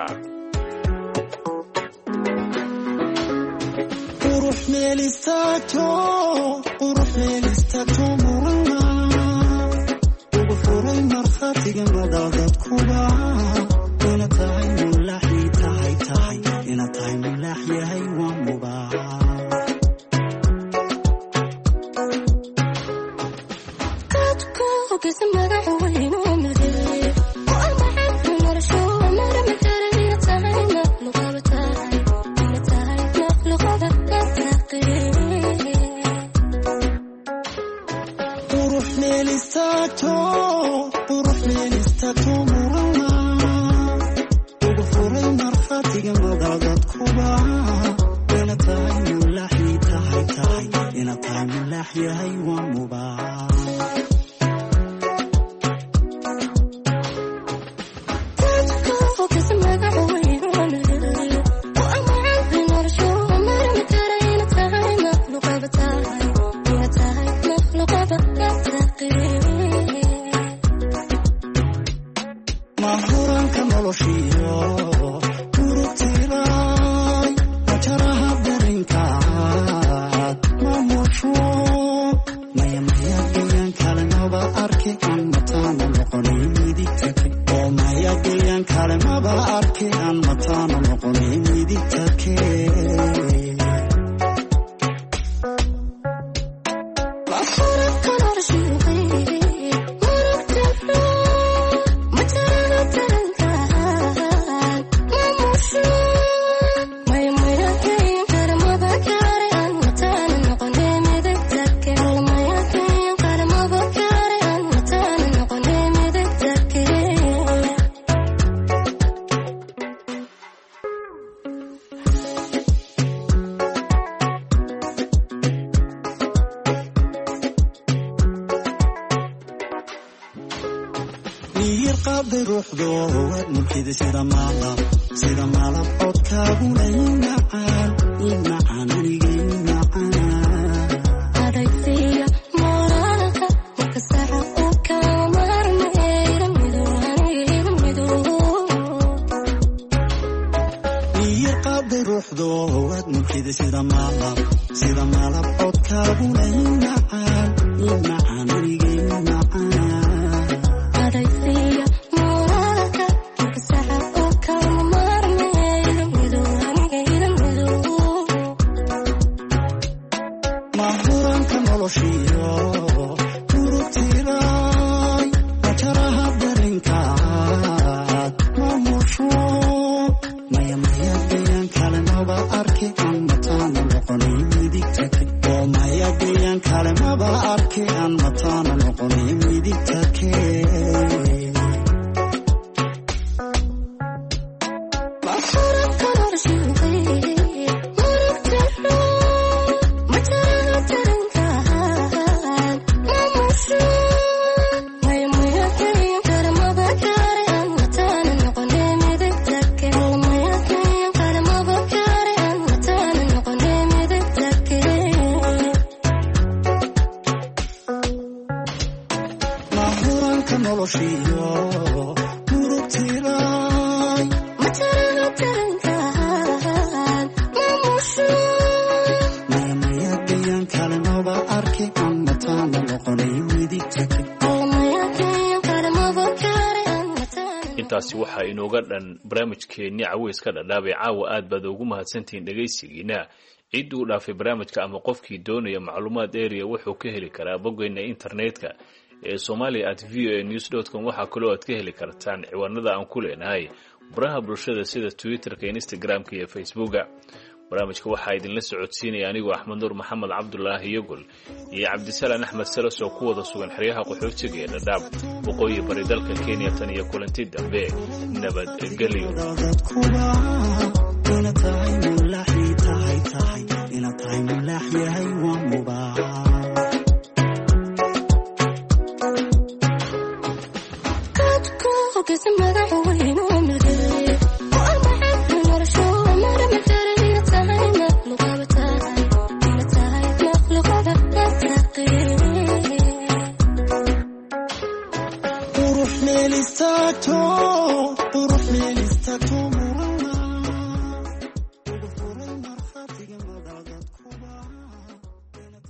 istaagto, qurux meel istaagto murana ugu furay markhaatiga madadadkuba ina tahay mulaaxi tahay tahay ina tahay mulaax yahay waa mubaa. Qurux meel istaagto, qurux meel istaagto murana ugu furay markhaatiga madadadkuba ina tahay mulaaxi tahay tahay ina tahay mulaax yahay waa mubaa. Mahuranka noloshiyo murugtiray majaraha darinkaad mamusho maya maya gayaan kale maba arki aan mataana noqonay midigtake oo maya gayaan kale maba arki aan mataana noqonay midigtake. Miyir qaaday ruuxdo waad mulkida sida maalab sida maalab codkaaguna i macaan i macaan aniga i macaan. Miyir qaaday ruuxdo waad mulkida sida maalab sida maalab codkaaguna i macaan i macaan aniga i macaan. Mahuranka noloshiyo murugtiray majaraha darinkaad mamusho maya maya gayaan kale maba arki aan mataana noqonay midigtake oo maya gayaan kale maba arki aan mataana noqonay midigtake. Mahuranka noloshiyo murugtiray maya maya gayaan kale maba arki aan mataana noqonay midigtake. Intaasi waxaa inooga dhan barnaamijkeennii caweyska dhadhaabay caawa. Aad baad ugu mahadsantihiin dhegaysigiina. Ciddii uu dhaafay barnaamijka ama qofkii doonaya macluumaad area wuxuu ka heli karaa boggeena internetka ee somalia@voanews.com. Waxaa kaloo aad ka heli kartaan ciwaanada aan ku leenahay baraha bulshada sida Twitterka, Instagramka iyo Facebooka. Barnaamijka waxaa idinla socodsiinaya anigoo Axmed Nuur Maxamed Cabdulaahi Yogol iyo Cabdisalaan Axmed Salas oo ku wada sugan xeryaha qaxootiga ee Dhadhaab, waqooyi bari dalka Kenya. Tan iyo kulanti dambe, nabadgelyo. Dadkuba ina tahay mulaaxi tahay tahay ina tahay mulaax yahay waa mubaa.